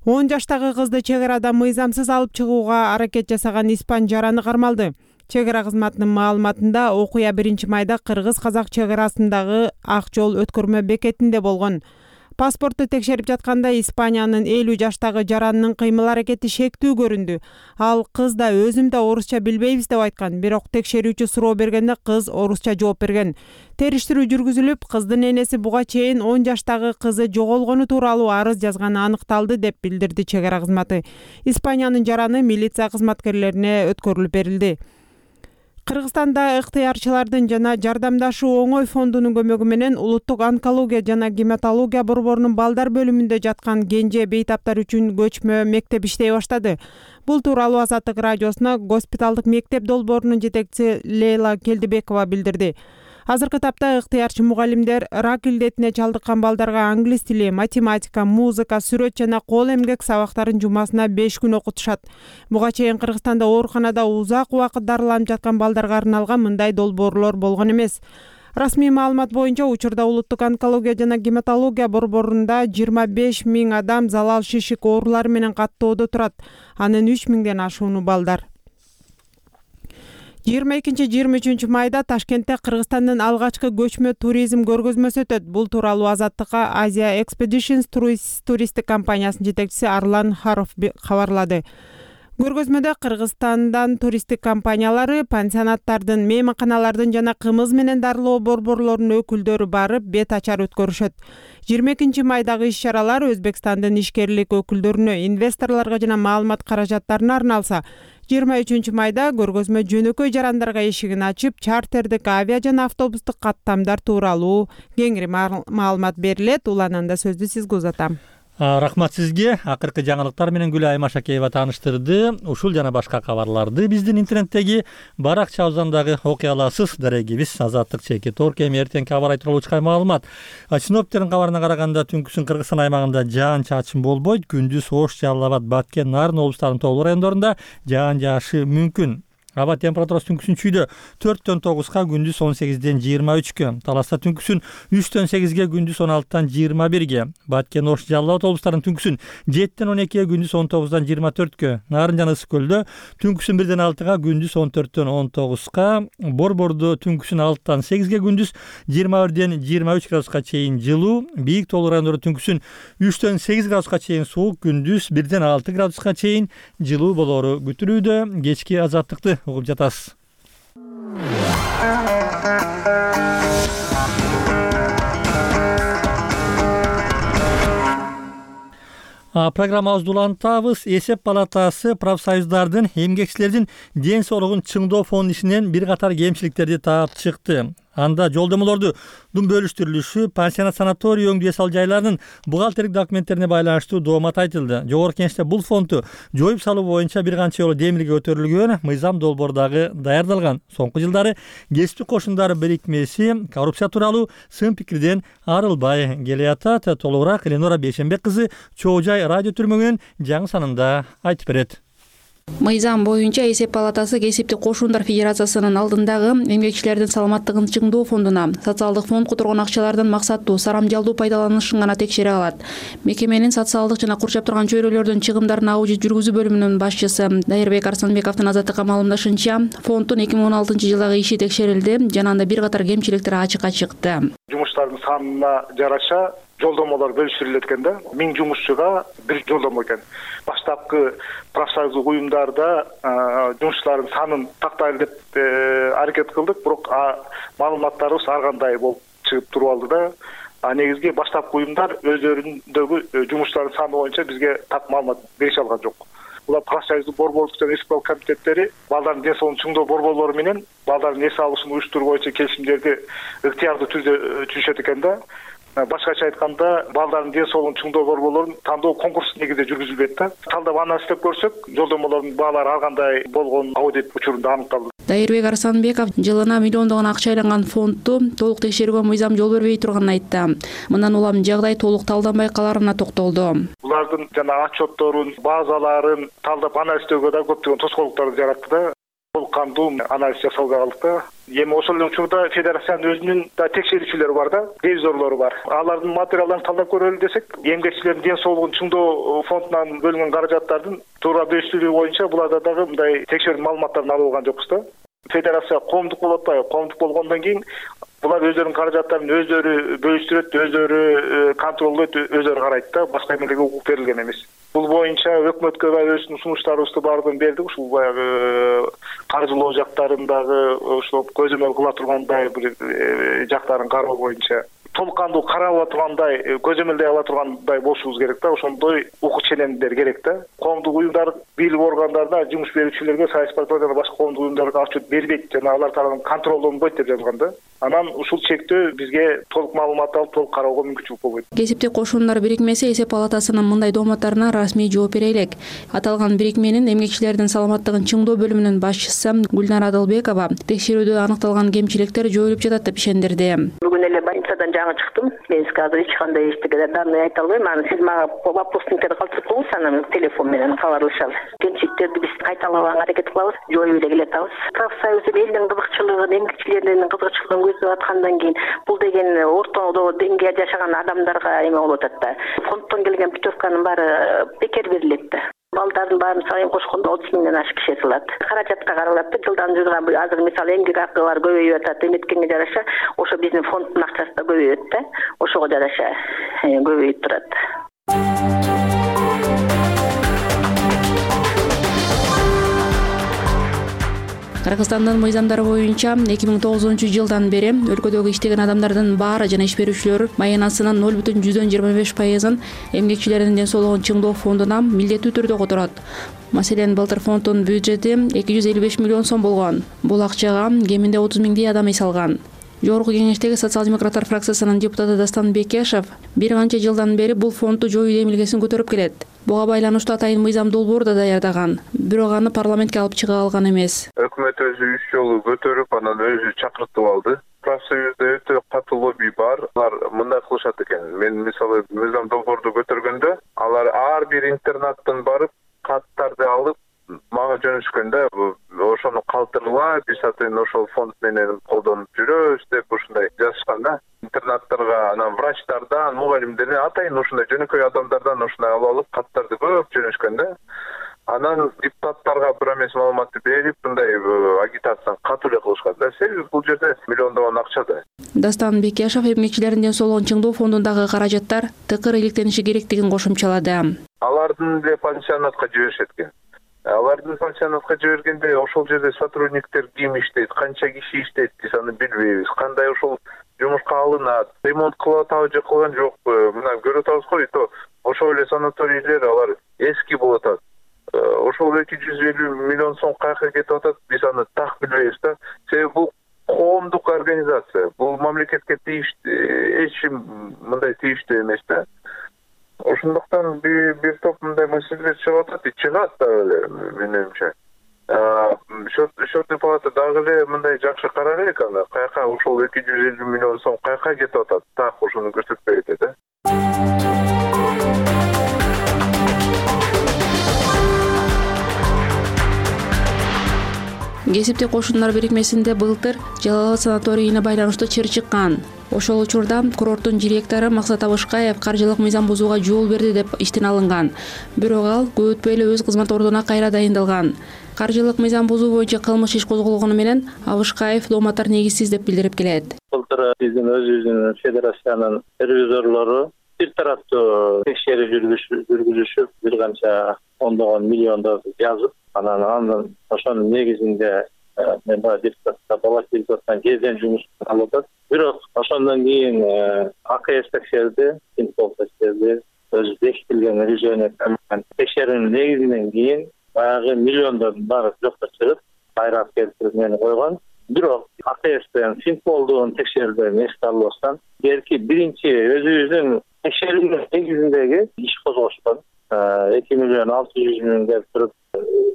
он жаштагы кызды чек арада мыйзамсыз алып чыгууга аракет жасаган испан жараны кармалды. Чек ара кызматынын маалыматында окуя биринчи майда кыргыз-казак чек арасындагы ак жол өткөрмө бекетинде болгон. Паспортту текшерип жатканда Испаниянын элүү жаштагы жаранынын кыймыл аракети шектүү көрүндү. Ал кыз да өзүм да орусча билбейбиз деп айткан, бирок текшерүүчү суроо бергенде кыз орусча жооп берген. Териштирүү жүргүзүлүп, кыздын энеси буга чейин он жаштагы кызы жоголгону тууралуу арыз жазганы аныкталды деп билдирди чек ара кызматы. Испаниянын жараны милиция кызматкерлерине өткөрүлүп берилди. Кыргызстанда ыктыярчылардын жана жардамдашуу оңой фондунун көмөгү менен улуттук онкология жана гематология борборунун балдар бөлүмүндө жаткан кенже бейтаптар үчүн көчмө мектеп иштей баштады. Бул тууралуу Азаттык радиосуна госпиталдык мектеп долбоорунун жетекчиси Лейла Келдибекова билдирди. Азыркы тапта ыктыярчы мугалимдер рак илдетине чалдыккан балдарга англис тили, математика, музыка, сүрөт жана кол эмгек сабактарын жумасына беш күн окутушат. Буга чейин Кыргызстанда ооруканада узак убакыт дарыланып жаткан балдарга арналган мындай долбоорлор болгон эмес. Расмий маалымат боюнча учурда улуттук онкология жана гематология борборунда жыйырма беш миң адам залал шишик оорулары менен каттоодо турат. Анын үч миңден ашууну балдар. жыйырма экинчи жыйырма үчүнчү майда Ташкентте Кыргызстандын алгачкы көчмө туризм көргөзмөсү өтөт. Бул тууралуу Азаттыкка Asia Expeditions туристтик компаниясынын жетекчиси Арлан Харов кабарлады. Көргөзмөдө Кыргызстандан туристтик компаниялары, пансионаттардын, мейманканалардын жана кымыз менен дарылоо борборлорунун өкүлдөрү барып, бет ачар өткөрүшөт. жыйырма экинчи майдагы иш-чаралар Өзбекстандын ишкерлик өкүлдөрүнө, инвесторлорго жана маалымат каражаттарына арналса, жыйырма үчүнчү майда көргөзмө жөнөкөй жарандарга эшигин ачып, чартердик авиа жана автобустук каттамдар тууралуу кеңири маалымат берилет. Улананда сөздү сизге узатам. Рахмат сизге. Акыркы жаңылыктар менен Гүлай Машакеева тааныштырды. Ушул жана башка кабарларды биздин интернеттеги баракчабыздагы окуя аласыз. Дарегибиз Азаттык чеки торк эми эртеңки кабар тууралуу чыккан маалымат. Синоптиктердин кабарына караганда түнкүсүн Кыргызстан аймагында жаан чачын болбойт. Күндүз Ош, Жалал Абад, Баткен, Нарын облустарынын тоолуу райондорунда жаан жаашы мүмкүн. Аба температурасы түнкүсүн чүйдө төрттөн тогузга, күндүз он сегизден жыйырма үчкө. Таласта түнкүсүн үчтөн сегизге, күндүз он алтыдан жыйырма бирге. Баткен, Ош, Жалал Абад облустарынын түнкүсүн жеттен он экиге, күндүз он тогуздан жыйырма төрткө. Нарын жана Ысык көлдө түнкүсүн бирден алтыга, күндүз он төрттөн он тогузга. Борбордо түнкүсүн алтыдан сегизге, күндүз жыйырма бирден жыйырма үч градуска чейин жылуу. Бийик тоолуу райондордо түнкүсүн үчтөн сегиз градуска чейин суук, күндүз бирден алты градуска чейин жылуу болору күтүлүүдө. Кечки азаттыкты угуп жатасыз. Программабызды улантабыз. Эсеп палатасы профсоюздардын эмгекчилердин ден соолугун чыңдоо фонду ишинен бир катар кемчиликтерди таап чыкты. Анда жолдомолорду дум бөлүштүрүлүшү, пансионат, санаторий, өңдүү эс ал жайлардын бухгалтердик документтерине байланыштуу доомат айтылды. Жогорку Кеңеште бул фондду жоюп салуу боюнча бир канча жолу демилге көтөрүлгөн, мыйзам долбоордагы даярдалган. Соңку жылдары кесиптик кошундар бирикмеси коррупция тууралуу сын пикирден арылбай келеатат. Толугураак Эленора Бейшенбек кызы Чоо Жай радио түрмөгүнүн жаңы санында айтып берет. Мыйзам боюнча Эсеп палатасы Кесиптик кошундар федерациясынын алдындагы эмгекчилердин саламаттыгын чыңдоо фондуна социалдык фонд которгон акчалардын максаттуу, сарамжалдуу пайдаланылышын гана текшере алат. Мекеменин социалдык жана курчап турган чөйрөлөрдүн чыгымдарын аудит жүргүзүү бөлүмүнүн башчысы Дайырбек Арсанбековдун Азаттыкка маалымдашынча, фонддун эки миң он алтынчы жылдагы иши текшерилди жана анда бир катар кемчиликтер ачыкка чыкты. Жумуштардын санына жараша жолдомолор бөлүштүрүлөт экен да. миң жумушчуга бир жолдомо экен. Баштапкы профсоюздук уюмдарда жумушчулардын санын тактайлы деп аракет кылдык, бирок маалыматтарыбыз ар кандай болуп чыгып туруп алды да. А негизги баштапкы уюмдар өздөрүндөгү жумуштардын саны боюнча бизге так маалымат берише алган жок. Булар профсоюздук борбордук жана республикалык комитеттери балдардын ден соолугун чыңдоо борборлору менен балдардын эс алышын уюштуруу боюнча келишимдерди ыктыярдуу түрдө түзүшөт экен да. Башкача айтканда, балдардын ден соолугун чыңдоо борборлорун тандоо конкурс негизинде жүргүзүлбөйт да. Талдап анализдеп көрсөк, жолдомолордун баалары ар кандай болгон аудит учурунда аныкталды. Дайырбек Арсанбеков жылына миллиондогон акча айланган фондду толук текшерүүгө мыйзам жол бербей турганын айтты. Мындан улам жагдай толук талданбай каларына токтолду. Булардын жана отчетторун, базаларын талдап анализдөөгө да көптөгөн тоскоолдуктарды жаратты да. Толук кандуу анализ жасалбай калдык да. Эми ошол учурда федерациянын өзүнүн да текшерүүчүлөрү бар да, ревизорлору бар. Алардын материалдарын талдап көрөлү десек, эмгекчилердин ден соолугун чыңдоо фондунан бөлүнгөн каражаттардын туура бөлүштүрүү боюнча буларда дагы мындай текшерүү маалыматтарын алып алган жокпуз да. Федерация коомдук болуп атпайбы? Коомдук болгондон кийин булар өздөрүнүн каражаттарын өздөрү бөлүштүрөт, өздөрү контролдойт, өздөрү карайт да, башка эмелерге укук берилген эмес. Бул боюнча өкмөткө өзүнүн сунуштарыбызды баардыгын бердик. Ушул баягы каржылоо жактарындагы ошо көзөмөл кыла тургандай бир жактарын кароо боюнча толук кандуу карап ала тургандай, көзөмөлдөй ала тургандай болушубуз керек да. Ошондой укук ченемдер керек да. Коомдук уюмдар бийлик органдарына, жумуш берүүчүлөргө, саясий партиялар жана башка коомдук уюмдарга отчет бербейт жана алар тарабынан контролдонбойт деп жазылган да. Анан ушул чектөө бизге толук маалымат алып, толук кароого мүмкүнчүлүк болбойт. Кесиптик кошуундар бирикмеси эсеп палатасынын мындай дооматтарына расмий жооп бере элек. Аталган бирикменин эмгекчилердин саламаттыгын чыңдоо бөлүмүнүн башчысы Гүлнара Адылбекова текшерүүдө аныкталган кемчиликтер жоюлуп жатат деп ишендирди. Бүгүн эле больницадан жаңы чыктым. Мен сизге азыр эч кандай эчтеке данный айта албайм. Аны сиз мага вопросниктер калтырып коюңуз, анан телефон менен кабарлашалы. Кемчиликтерди биз кайталабаганга аракет кылабыз, жоюп эле келатабыз. Профсоюз элдин кызыкчылыгын, эмгекчилердин кызыкчылыгын көздөп аткандан кийин бул деген ортодо деңгээлде жашаган адамдарга эме болуп атат да. Фонддон келген путевканын баары бекер берилет да. Балдардын баарын сайын кошкондо отуз миңден ашык киши сылат. Каражатка каралат да, жылдан жылга азыр мисалы эмгек акылар көбөйүп атат, эметкенге жараша ошо биздин фонддун акчасы да көбөйөт да. Ошого жараша көбөйүп турат. Кыргызстандын мыйзамдары боюнча эки миң тогузунчу жылдан бери өлкөдөгү иштеген адамдардын баары жана иш берүүчүлөр маянасынын ноль бүтүн жүздөн жыйырма беш пайызын эмгекчилердин ден соолугун чыңдоо фондуна милдеттүү түрдө которот. Маселен, былтыр фонддун бюджети эки жүз элүү беш миллион сом болгон. Бул акчага кеминде отуз миңдей адам эс алган. Жогорку кеңештеги социал-демократтар фракциясынын депутаты Дастан Бекешев бир канча жылдан бери бул фондду жоюу демилгесин көтөрүп келет. Буга байланыштуу атайын мыйзам долбоор да даярдаган, бирок аны парламентке алып чыга алган эмес. Өкмөт өзү үч жолу көтөрүп, анан өзү чакыртып алды. Профсоюзда өтө катуу лобби бар. Алар мындай кылышат экен. Мен мисалы мыйзам долбоорду көтөргөндө, алар ар бир интернаттан барып, каттарды алып мага жөнөшкөндө, ошону калтыргыла, биз атын ошол фонд менен колдонуп жүрөбүз деп ушундай жазышкан да. Интернаттарга, анан врачтардан, мугалимдерден, атайын ушундай жөнөкөй адамдардан ушундай алып алып, каттарды көп жөнөшкөн да. Анан депутаттарга бир эмес маалыматты берип, мындай агитацияны катуу эле кылышкан да. Себеби бул жерде миллиондогон акча да. Дастан Бекешев эмгекчилердин ден соолугун чыңдоо фондундагы каражаттар тыкыр иликтениши керектигин кошумчалады. Алардын эле пансионатка жиберишет экен. Алардын пансионатка жибергенде ошол жерде сотрудниктер ким иштейт, канча киши иштейт, биз аны билбейбиз. Кандай ошол жумушка алынат, ремонт кылып атабы же кылган жокпу? Мына көрүп атабыз го, то ошол эле санаторийлер алар эски болуп атат. Ошол эки жүз элүү миллион сом каяка кетип атат, биз аны так билбейбиз да. Себеби бул коомдук организация, бул мамлекетке тийиштүү, эч ким мындай тийиштүү эмес да. Ошондуктан бир бир топ мындай маселелер чыгып атат, чыгат да эле менимче. Счетный палата дагы эле мындай жакшы карар элек аны, каяка ошол эки жүз элүү миллион сом каяка кетип атат, так ошону көрсөтпөй кетет да. Кесиптик кошуундар бирикмесинде былтыр Жалал Абад санаторийине байланыштуу чыр чыккан. Ошол учурда курорттун директору Максат Абышкаев каржылык мыйзам бузууга жол берди деп иштен алынган. Бирок ал көп өтпөй эле өз кызмат ордуна кайра дайындалган. Каржылык мыйзам бузуу боюнча кылмыш иш козголгону менен Абышкаев дооматтар негизсиз деп билдирип келет. Былтыр биздин өзүбүздүн федерациянын ревизорлору бир тараптуу текшерүү жүргүзүшүп, бир канча ондогон миллиондор жазып, анан анын ошонун негизинде мен баягы депутатка бала депутаттан кезден жумуш алып атат. Бирок ошондон кийин А К С текшерди, Синпол текшерди, өзү бекитилген решение текшерүүнүн негизинен кийин баягы миллиондордун баары жокко чыгып, кайра келтирип мени койгон. Бирок А К Стен Синполдун текшерүүдөн эсте албастан берки биринчи өзүбүздүн текшерүүнүн негизиндеги иш козгошкон. эки миллион алты жүз миң деп туруп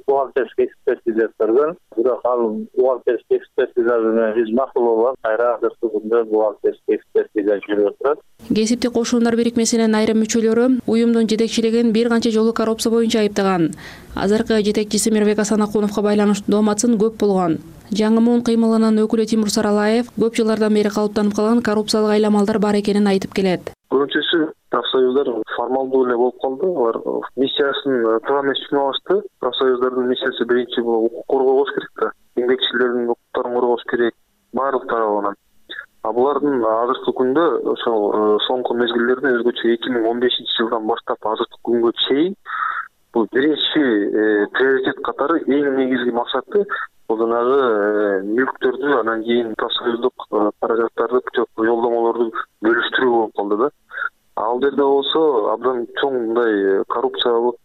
бухгалтерский экспертиза көргөн. Бирок ал бухгалтерский экспертиза менен биз макул болгон, кайра азыркы күндө бухгалтерский экспертиза жүрүп турат. Кесиптик кошуундар бирикмесинин айрым мүчөлөрү уюмдун жетекчилигин бир канча жолу коррупция боюнча айыптаган. Азыркы жетекчиси Мирбек Асанакуновго байланыштуу дооматсын көп болгон. Жаңы муун кыймылынын өкүлү Тимур Саралаев көп жылдардан бери калыптанып калган коррупциялык айламалдар бар экенин айтып келет. Көбүнчөсү профсоюздар формалдуу эле болуп калды. Алар миссиясын туура эмес түшүнүп алышты. Профсоюздардын миссиясы биринчи бул укук коргоо болуш керек да. Эмгекчилердин укуктарын коргош керек баардык тарабынан. А булардын азыркы күндө ошол соңку мезгилдерде өзгөчө эки миң он бешинчи жылдан баштап азыркы күнгө чейин бул биринчи приоритет катары эң негизги максаты бул жанагы мүлктөрдү, анан кийин профсоюздук каражаттарды, жолдомолорду бөлүштүрүү болуп калды да. Ал жерде болсо абдан чоң мындай коррупциялык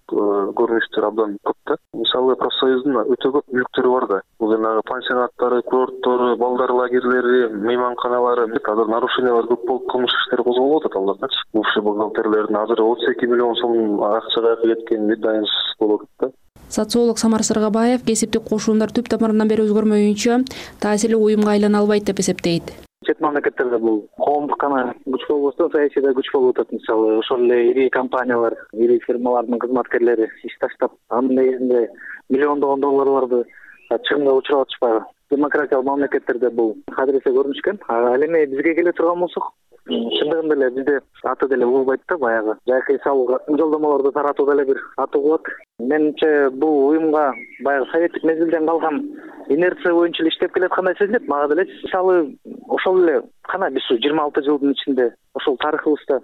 көрүнүштөр абдан көп да. Мисалы профсоюздун өтө көп мүлктөрү бар да. Бул жанагы пансионаттары, курорттору, балдар лагерлери, мейманканалары, азыр нарушениялар көп болуп, кылмыш иштери козголуп атат алардачы. Бувший бухгалтерлердин азыр отуз эки миллион сом акча кайка кеткени дайын болуп атат да. Социолог Самар Сыргабаев кесиптик кошуундар түп тамырынан бери өзгөрмөйүнчө таасирлүү уюмга айлана албайт деп эсептейт. Чет мамлекеттерде бул коомдук гана күч болбостон саясийда күч болуп атат. Мисалы ошол эле ири компаниялар, ири фирмалардын кызматкерлери иш таштап, анын негизинде миллиондогон долларларды чыгымга учуруп атышпайбы. Демократиялык мамлекеттерде бул кадыресе көрүнүшкөн. Ал эми бизге келе турган болсок, чындыгында эле бизде аты деле угулбайт да, баягы жайкы салууга жолдомолорду таратуу деле бир аты угулат. Менимче бул уюмга баягы советтик мезгилден калган инерция боюнча иштеп келаткандай сезилет. Мага деле мисалы ошол эле кана биз жыйырма алты жылдын ичинде ошол тарыхыбызда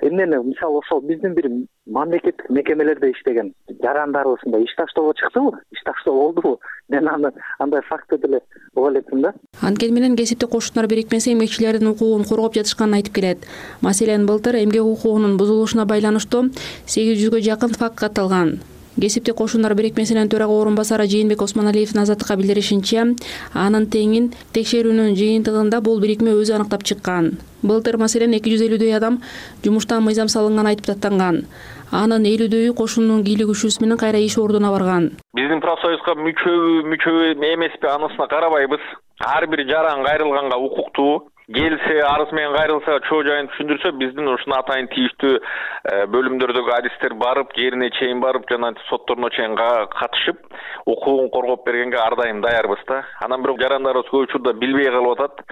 эмнени мисалы ошол биздин бир мамлекеттик мекемелерде иштеген жарандарыбызда иш таштоого чыктыбы, иш таштоо болдубу? Мен аны андай факты деле уга электим да. Анткени менен кесиптик кошуундар бирикмеси эмгекчилердин укугун коргоп жатышканын айтып келет. Маселен, былтыр эмгек укугунун бузулушуна байланыштуу сегиз жүзгө жакын факт катталган. Кесиптик кошуундар бирикмесинин төрага орун басары Жээнбек Осмоналиевдин Азаттыкка билдиришинче, анын теңин текшерүүнүн жыйынтыгында бул бирикме өзү аныктап чыккан. Былтыр маселен эки жүз элүүдөй адам жумуштан мыйзам салынган айтып даттанган. Анын элүүдөйү кошуунун кийлик күчүсү менен кайра иш ордуна барган. Биздин профсоюзга мүчөбү, мүчөбү эмеспи анысына карабайбыз. Ар бир жаран кайрылганга укуктуу. Келсе, арыз менен кайрылса, чоо жайын түшүндүрсө, биздин ушуна атайын тийиштүү бөлүмдөрдөгү адистер барып, жерине чейин барып, жана сотторуна чейин катышып, укугун коргоп бергенге ар дайым даярбыз да. Анан бирок жарандарыбыз көп учурда билбей калып атат.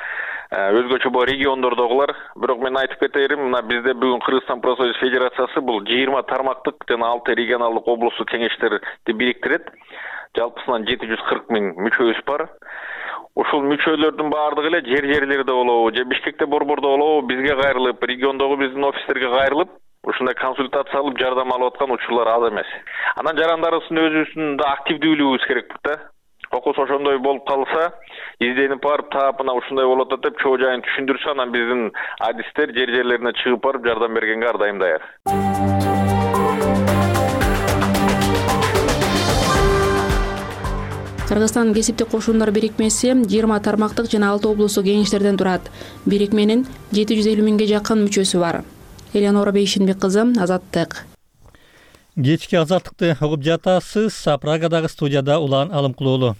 Өзгөчө бул региондордогулар. Бирок мен айтып кетерим, мына бизде бүгүн Кыргызстан профсоюз федерациясы бул жыйырма тармактык жана алты регионалдык облустук кеңештерди бириктирет. Жалпысынан жети жүз кырк миң мүчөбүз бар. Ушул мүчөлөрдүн баардыгы эле жер-жерлерде болобу, же Бишкекте, Борбордо болобу, бизге кайрылып, региондогу биздин офистерге кайрылып, ушундай консультация алып, жардам алып аткан учурлар аз эмес. Анан жарандарыбыздын өзүбүздүн да активдүүлүгүбүз керек да. Окус ошондой болуп калса, изденип барып, таап мына ушундай болуп атат деп чоо жайын түшүндүрсө, анан биздин адистер жер-жерлерине чыгып барып жардам бергенге ар дайым даяр. Кыргызстан кесиптик кошуундар бирикмеси жыйырма тармактык жана алты облустук кеңештерден турат. Бирикменин жети жүз элүү миңге жакын мүчөсү бар. Элеонора Бейшенбек кызы, Азаттык. Кечки Азаттыкты угуп жатасыз. Прагадагы студияда Улан Алымкулуулу.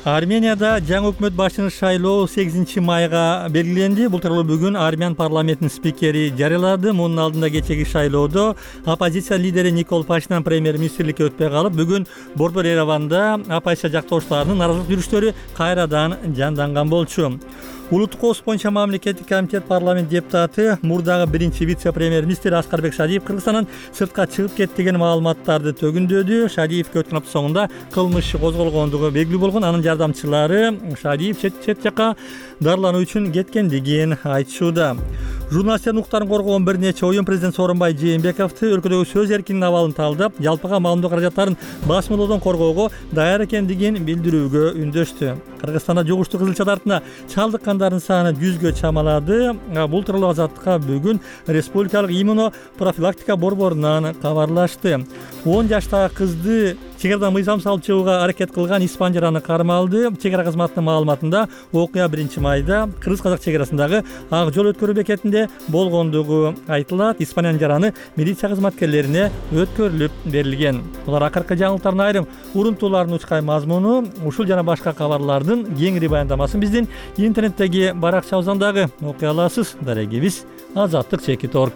Арменияда жаңы өкмөт башчыны шайлоо сегизинчи майга белгиленди. Бул тууралуу бүгүн Армян парламентинин спикери жарыялады. Мунун алдында кечеги шайлоодо оппозиция лидери Никол Пашинян премьер-министрликке өтпөй калып, бүгүн борбор Ереванда оппозиция жактоошчуларынын нааразылык жүрүштөрү кайрадан жанданган болчу. Улуттук коопсуздук боюнча мамлекеттик комитет парламент депутаты, мурдагы биринчи вице-премьер-министр Аскарбек Шадиев Кыргызстандан сыртка чыгып кетти деген маалыматтарды төгүндөдү. Шадиевке өткөн апта соңунда кылмыш козголгондугу белгилүү болгон. Анын жардамчылары Шадиев чет чет жакка дарылануу үчүн кеткендигин айтышууда. Журналистердин укуктарын коргогон бир нече оюн президент Сооронбай Жээнбековду өлкөдөгү сөз эркиндигинин абалын талдап, жалпыга маалымдоо каражаттарын басмалоодон коргоого даяр экендигин билдирүүгө үндөштү. Кыргызстанда жугуштуу кызылча дартына чалдыккандардын саны жүзгө чамалады. Бул тууралуу Азаттыкка бүгүн Республикалык иммунопрофилактика борборунан кабарлашты. он жаштагы кызды чек арадан мыйзам салып чыгууга аракет кылган испан жараны кармалды. Чек ара кызматынын маалыматында окуя биринчи майда кыргыз-казак чек арасындагы ак жол өткөрүү бекетинде болгондугу айтылат. Испаниянын жараны милиция кызматкерлерине өткөрүлүп берилген. Булар акыркы жаңылыктардын айрым урунтууларынын учкай мазмуну. Ушул жана башка кабарлардын кеңири баяндамасын биздин интернеттеги баракчабыздан дагы окуй аласыз. Дарегибиз азаттык чекит точка орг.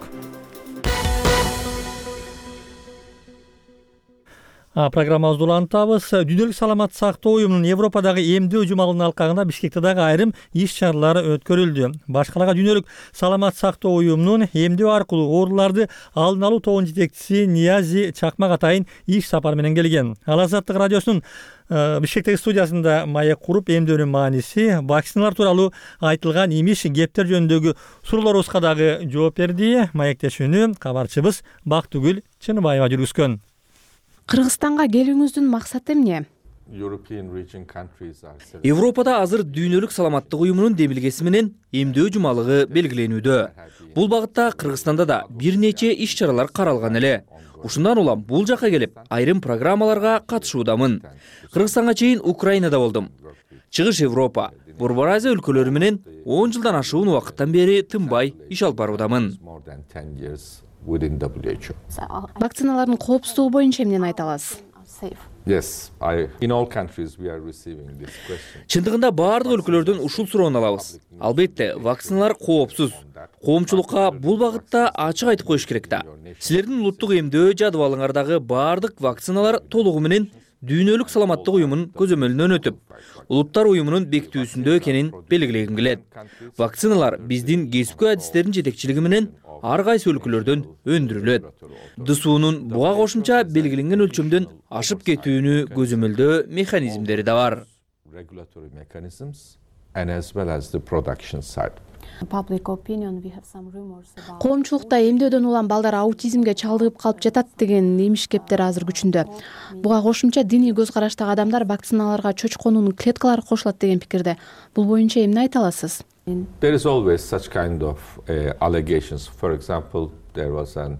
Программабызды улантабыз. Дүйнөлүк саламаттык сактоо уюмунун Европадагы эмдөө жумалынын алкагында Бишкекте дагы айрым иш-чаралар өткөрүлдү. Баш калага Дүйнөлүк саламаттык сактоо уюмунун эмдөө аркылуу ооруларды алдын алуу тобунун жетекчиси Ниязи Чакмак атайын иш сапар менен келген. Ал Азаттык радиосунун Бишкектеги студиясында маек куруп эмдөөнүн мааниси, вакциналар тууралуу айтылган имиш кептер жөнүндөгү суроолорубузга дагы жооп берди. Маектешүүнү кабарчыбыз Бактыгүл Чыныбаева жүргүзгөн. Кыргызстанга келүүңүздүн максаты эмне? Европада азыр дүйнөлүк саламаттык уюмунун демилгеси менен эмдөө жумалыгы белгиленүүдө. Бул багытта Кыргызстанда да бир нече иш-чаралар каралган эле. Ушундан улам бул жака келип, айрым программаларга катышуудамын. Кыргызстанга чейин Украинада болдум. Чыгыш Европа, Борбор Азия өлкөлөрү менен он жылдан ашуун убакыттан бери тынбай иш алып баруудамын. Вакциналардын коопсуздугу боюнча эмнени айта аласыз? Yes, I, in all countries we are receiving this question. Чындыгында баардык өлкөлөрдөн ушул суроону алабыз. Албетте, вакциналар коопсуз. Коомчулукка бул багытта ачык айтып коюш керек да. Силердин улуттук эмдөө жадыбалыңардагы баардык вакциналар толугу менен Дүйнөлүк саламаттык уюмунун көзөмөлүнөн өтүп, улуттар уюмунун бекитүүсүндө экенин белгилегим келет. Вакциналар биздин кесипкөй адистердин жетекчилиги менен ар кайсы өлкөлөрдөн өндүрүлөт. ДСУнун буга кошумча белгиленген өлчөмдөн ашып кетүүнү көзөмөлдөө механизмдери да бар. Коомчулукта эмдөөдөн улам балдар аутизмге чалдыгып калып жатат деген имиш кептер азыр күчүндө. Буга кошумча диний көз караштагы адамдар вакциналарга чочконунун клеткалары кошулат деген пикирде. Бул боюнча эмне айта аласыз? There is always such kind of uh, allegations. For example, there was an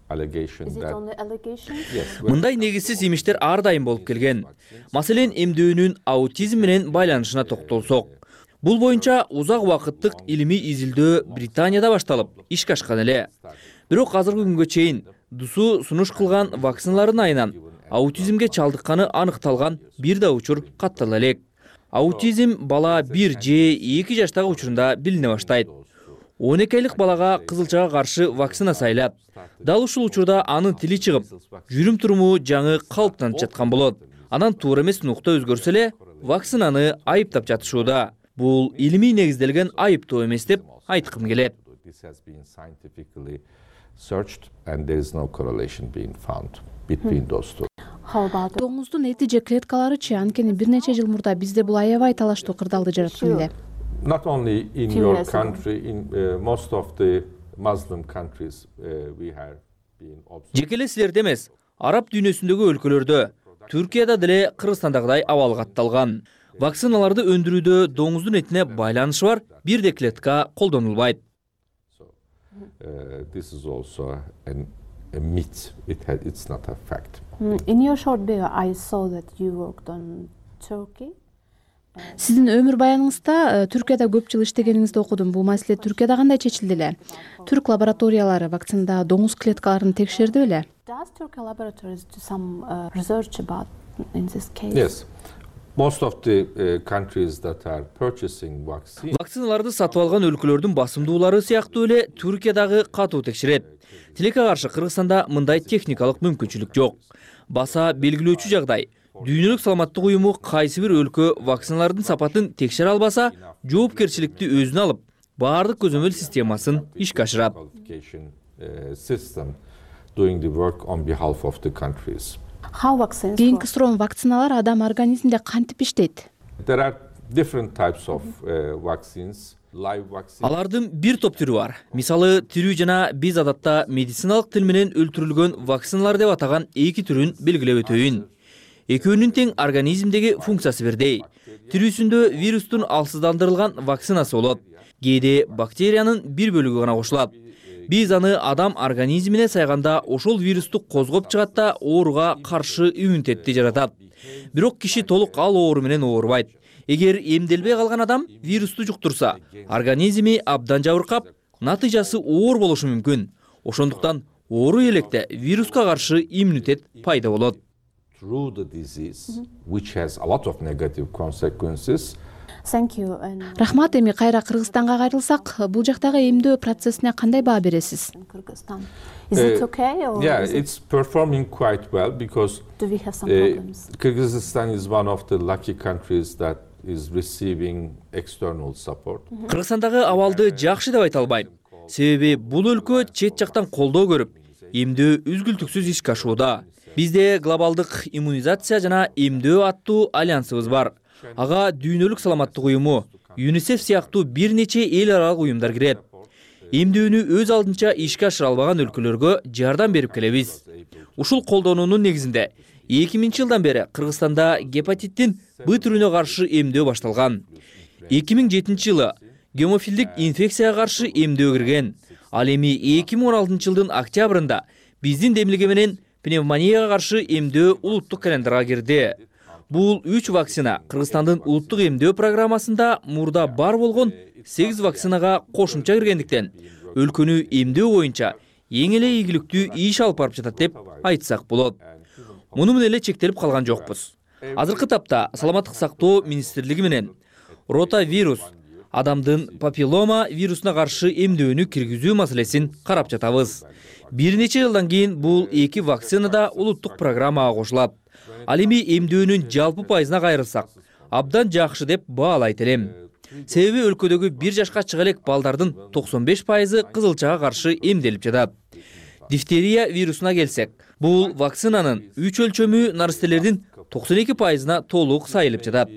allegation that Мындай негизсиз имиштер ар дайым болуп келген. Маселен, эмдөөнүн аутизм менен байланышына токтолсок. Бул боюнча узак убакыттык илимий изилдөө Британияда башталып, ишке ашкан эле. Бирок азыркы күнгө чейин ДСУ сунуш кылган вакциналардын айынан аутизмге чалдыкканы аныкталган бир да учур каттала элек. Аутизм бала бир же эки жаштагы учурунда билине баштайт. он эки айлык балага кызылчага каршы вакцина сайлап, дал ушул учурда анын тили чыгып, жүрүм туруму жаңы калыптанып жаткан болот. Анан туура эмес нукта өзгөрсө эле, вакцинаны айыптап жатышууда. Бул илимий негизделген айыптоо эмес деп айткым келет. Доңуздун эти же клеткаларычы, анткени бир нече жыл мурда бизде бул аябай талаштуу кырдаалды жараткан эле. Not only in your country, in uh, most of the Muslim countries uh, we have been observed. Жекеле силерде эмес, араб дүйнөсүндөгү өлкөлөрдө, Түркияда деле Кыргызстандагыдай абал катталган. Вакциналарды өндүрүүдө доңуздун этине байланышы бар бир да клетка колдонулбайт. Uh, this is also an, a myth. It had, it's not a fact. In your short bio, I saw that you worked on Turkey. Сиздин өмүр баяныңызда Түркияда көп жыл иштегениңизди окудум. Бул маселе Түркияда кандай чечилди эле? Түрк лабораториялары вакцинада доңуз клеткаларын текшерди беле? Does Turkey laboratories do some uh, research about in this case? Yes. Most of the uh, countries that are purchasing vaccine. Вакциналарды сатып алган өлкөлөрдүн басымдуулары сыяктуу эле Түркиядагы катуу текшерет. Тилекке каршы Кыргызстанда мындай техникалык мүмкүнчүлүк жок. Баса белгилөөчү жагдай. Дүйнөлүк саламаттык уюму кайсы бир өлкө вакциналардын сапатын текшере албаса, жоопкерчиликти өзүнө алып, баардык көзөмөл системасын ишке ашырат. Кийинки суроом, вакциналар адам организминде кантип иштейт? There are different types of uh, vaccines. Алардын бир топ түрү бар. Мисалы, тирүү жана биз адатта медициналык тил менен өлтүрүлгөн вакциналар деп атаган эки түрүн белгилеп өтөйүн. Экөөнүн тең организмдеги функциясы бирдей. Тирүүсүндө вирустун алсыздандырылган вакцинасы болот. Кээде бактериянын бир бөлүгү гана кошулат. Биз аны адам организмине сайганда ошол вирусту козгоп чыгат да ооруга каршы иммунитетти жаратат. Бирок киши толук ал оору менен оорубайт. Эгер эмделбей калган адам вирусту жуктурса, организми абдан жабыркап, натыйжасы оор болушу мүмкүн. Ошондуктан оору электе вируска каршы иммунитет пайда болот. Рахмат. Эми кайра Кыргызстанга кайрылсак, бул жактагы эмдөө процессине кандай баа бересиз? Is it okay? Or yeah, it's performing quite well because do we have some problems? Kyrgyzstan is one of the lucky countries that is receiving external support. Кыргызстандагы абалды жакшы деп айта албайм. Себеби бул өлкө чет жактан колдоо көрүп, эмдөө үзгүлтүксүз ишке ашууда. Бизде глобалдык иммунизация жана эмдөө аттуу альянсыбыз бар. Ага дүйнөлүк саламаттык уюму, ЮНИСЕФ сыяктуу бир нече эл аралык уюмдар кирет. Эмдөөнү өз алдынча ишке ашыра албаган өлкөлөргө жардам берип келебиз. Ушул колдонуунун негизинде эки миңинчи жылдан бери Кыргызстанда гепатиттин Б түрүнө каршы эмдөө башталган. эки миң жетинчи жылы гемофилдик инфекцияга каршы эмдөө кирген. Ал эми эки миң он алтынчы жылдын октябрында биздин демилге менен пневмонияга каршы эмдөө улуттук календарга кирди. Бул үч вакцина Кыргызстандын улуттук эмдөө программасында мурда бар болгон сегиз вакцинага кошумча киргендиктен өлкөнү эмдөө боюнча эң эле ийгиликтүү иш алып барып жатат деп айтсак болот. Муну менен эле чектелип калган жокпуз. Азыркы тапта саламаттык сактоо министрлиги менен ротавирус, адамдын папиллома вирусуна каршы эмдөөнү киргизүү маселесин карап жатабыз. Бир нече жылдан кийин бул эки вакцина да улуттук программага кошулат. Ал эми эмдөөнүн жалпы пайызына кайрылсак, абдан жакшы деп баалайт элем. Себеби өлкөдөгү бир жашка чыга элек балдардын токсон беш пайызы кызылчага каршы эмделип жатат. Дифтерия вирусуна келсек, бул вакцинанын үч өлчөмү нарастелердин токсон эки пайызына толук сайылып жатат.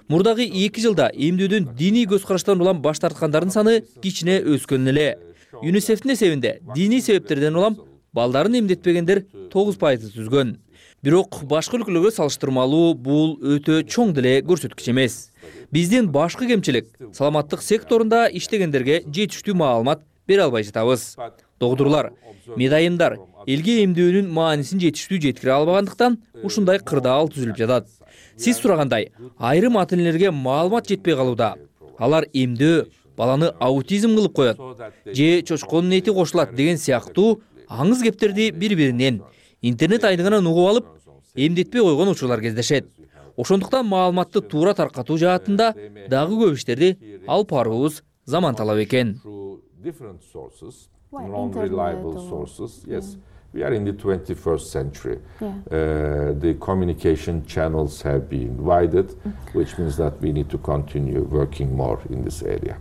Мурдагы эки жылда эмдөөдөн диний көз караштан улам баш тарткандардын саны кичине өскөн эле. ЮНИСЕФтин эсебинде диний себептерден улам балдарын эмдетпегендер тогуз пайызды түзгөн. Бирок башка өлкөлөргө салыштырмалуу бул өтө чоң деле көрсөткүч эмес. Биздин башкы кемчилик саламаттык секторунда иштегендерге жетиштүү маалымат бере албай жатабыз. Докторлор, медайымдар элге эмдөөнүн маанисин жетиштүү жеткире албагандыктан ушундай кырдаал түзүлүп жатат. Сиз сурагандай, айрым ата-энелерге маалымат жетпей калууда. Алар эмдөө баланы аутизм кылып коет, же чочконун эти кошулат деген сыяктуу аңыз кептерди бири-биринен интернет айдыңынан угуп алып, эмдетпей койгон учурлар кездешет. Ошондуктан маалыматты туура таркатуу жаатында дагы көп иштерди алып баруубуз заман талап экен. We are in the twenty-first century. Yeah. Uh, the communication channels have been widened, which means that we need to continue working more in this area.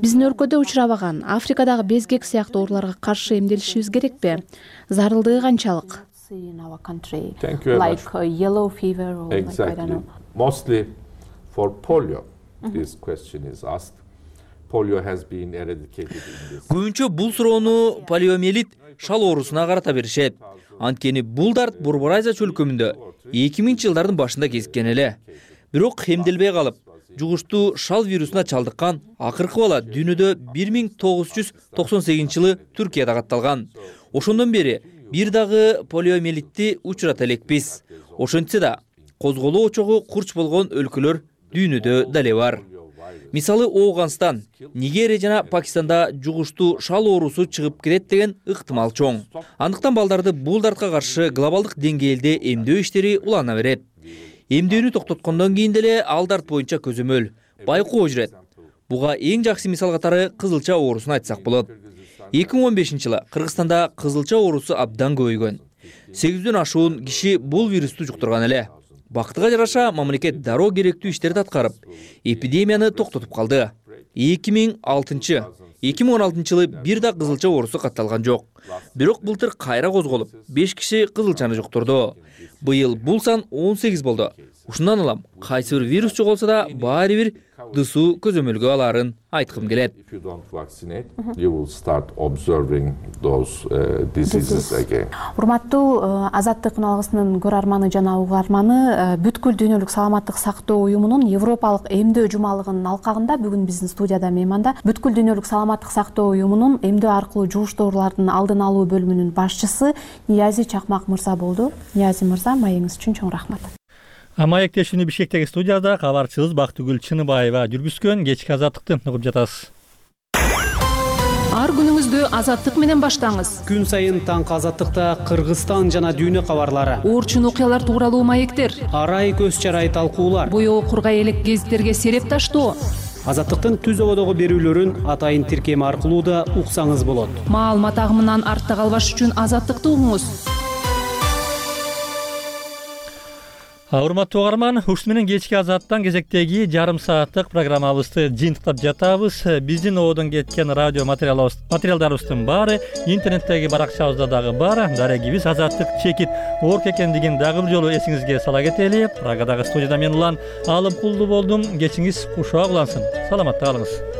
Биздин өлкөдө учурабаган Африкадагы безгек сыяктуу ооруларга каршы эмделишибиз керекпи? Зарылдыгы канчалык? Thank you very like much. Uh, yellow fever or exactly. like, I don't know. Mostly for polio, mm-hmm. this question is asked. Polio has been eradicated in this. Көбүнчө бул суроону полиомиелит шал оорусуна карата беришет. Анткени бул дарт Борбор Азия чөлкөмүндө эки миңинчи жылдардын башында кезиккен эле. Бирок эмделбей калып, жугуштуу шал вирусуна чалдыккан акыркы бала дүйнөдө бир миң тогуз жүз токсон сегизинчи жылы Түркияда катталган. Ошондон бери бир дагы полиомиелитти учурата элекпиз. Ошентсе да, козголоо очогу курч болгон өлкөлөр дүйнөдө дале бар. Мисалы Оогандстан, Нигерия жана Пакистанда жугуштуу шал оорусу чыгып кетет деген ыктымал чоң. Андыктан балдарды бул дартка каршы глобалдык деңгээлде эмдөө иштери улана берет. Эмдөөнү токтоткондон кийин деле ал дарт боюнча көзөмөл, байкоо жүрөт. Буга эң жакшы мисал катары кызылча оорусун айтсак болот. эки миң он бешинчи жылы Кыргызстанда кызылча оорусу абдан көбөйгөн. сегизден ашуун киши бул вирусту жуктурган эле. Бактыга жараша мамлекет дароо керектүү иштерди аткарып, эпидемияны токтотуп калды. эки миң алтынчы эки миң он алтынчы жылы бир да кызылча оорусу катталган жок. Бирок былтыр кайра козголуп, беш киши кызылчаны жуктурду. Быйыл бул сан он сегиз болду. ушундан улам кайсы бир вирус жоголсо да баары бир дысуу көзөмөлгө алаарын айткым келет. If you don't vaccinate, you will start observing those uh, diseases again. Урматтуу Азаттык үналгысынын көрөрманы жана угарманы, бүткүл дүйнөлүк саламаттык сактоо уюмунун Европалык эмдөө жумалыгынын алкагында бүгүн биздин студияда мейманда бүткүл дүйнөлүк саламаттык сактоо уюмунун эмдөө аркылуу жугуш оорулардын алдын алуу бөлүмүнүн башчысы Ниязи Чакмак мырза болду. Ниязи мырза, маегиңиз үчүн чоң рахмат. Маектешүүнү Бишкектеги студияда кабарчыбыз Бактыгүл Чыныбаева жүргүзгөн кечки азаттыкты угуп жатасыз. Ар күнүңүздү азаттык менен баштаңыз. Күн сайын таңкы азаттыкта Кыргызстан жана дүйнө кабарлары. Орчун окуялар тууралуу маектер. Арай көз чарай талкуулар. Боёо кургай элек гезиттерге сереп таштоо. Азаттыктын түз ободогу берүүлөрүн атайын тиркем аркылуу да уксаңыз болот. Маалымат агымынан артта калбаш үчүн азаттыкты угуңуз. Урматтуу угарман, ушуну менен кечки азаттан кезектеги жарым сааттык программабызды жыйынтыктап жатабыз. Биздин оодон кеткен радио материалдарыбыздын баары интернеттеги баракчабызда дагы бар. Дарегибиз азаттык чекит орг экендигин дагы бир жолу эсиңизге сала кетели. Прагадагы студияда мен улан Алым Кулду болдум. Кечиңиз кушак улансын. Саламатта калыңыз.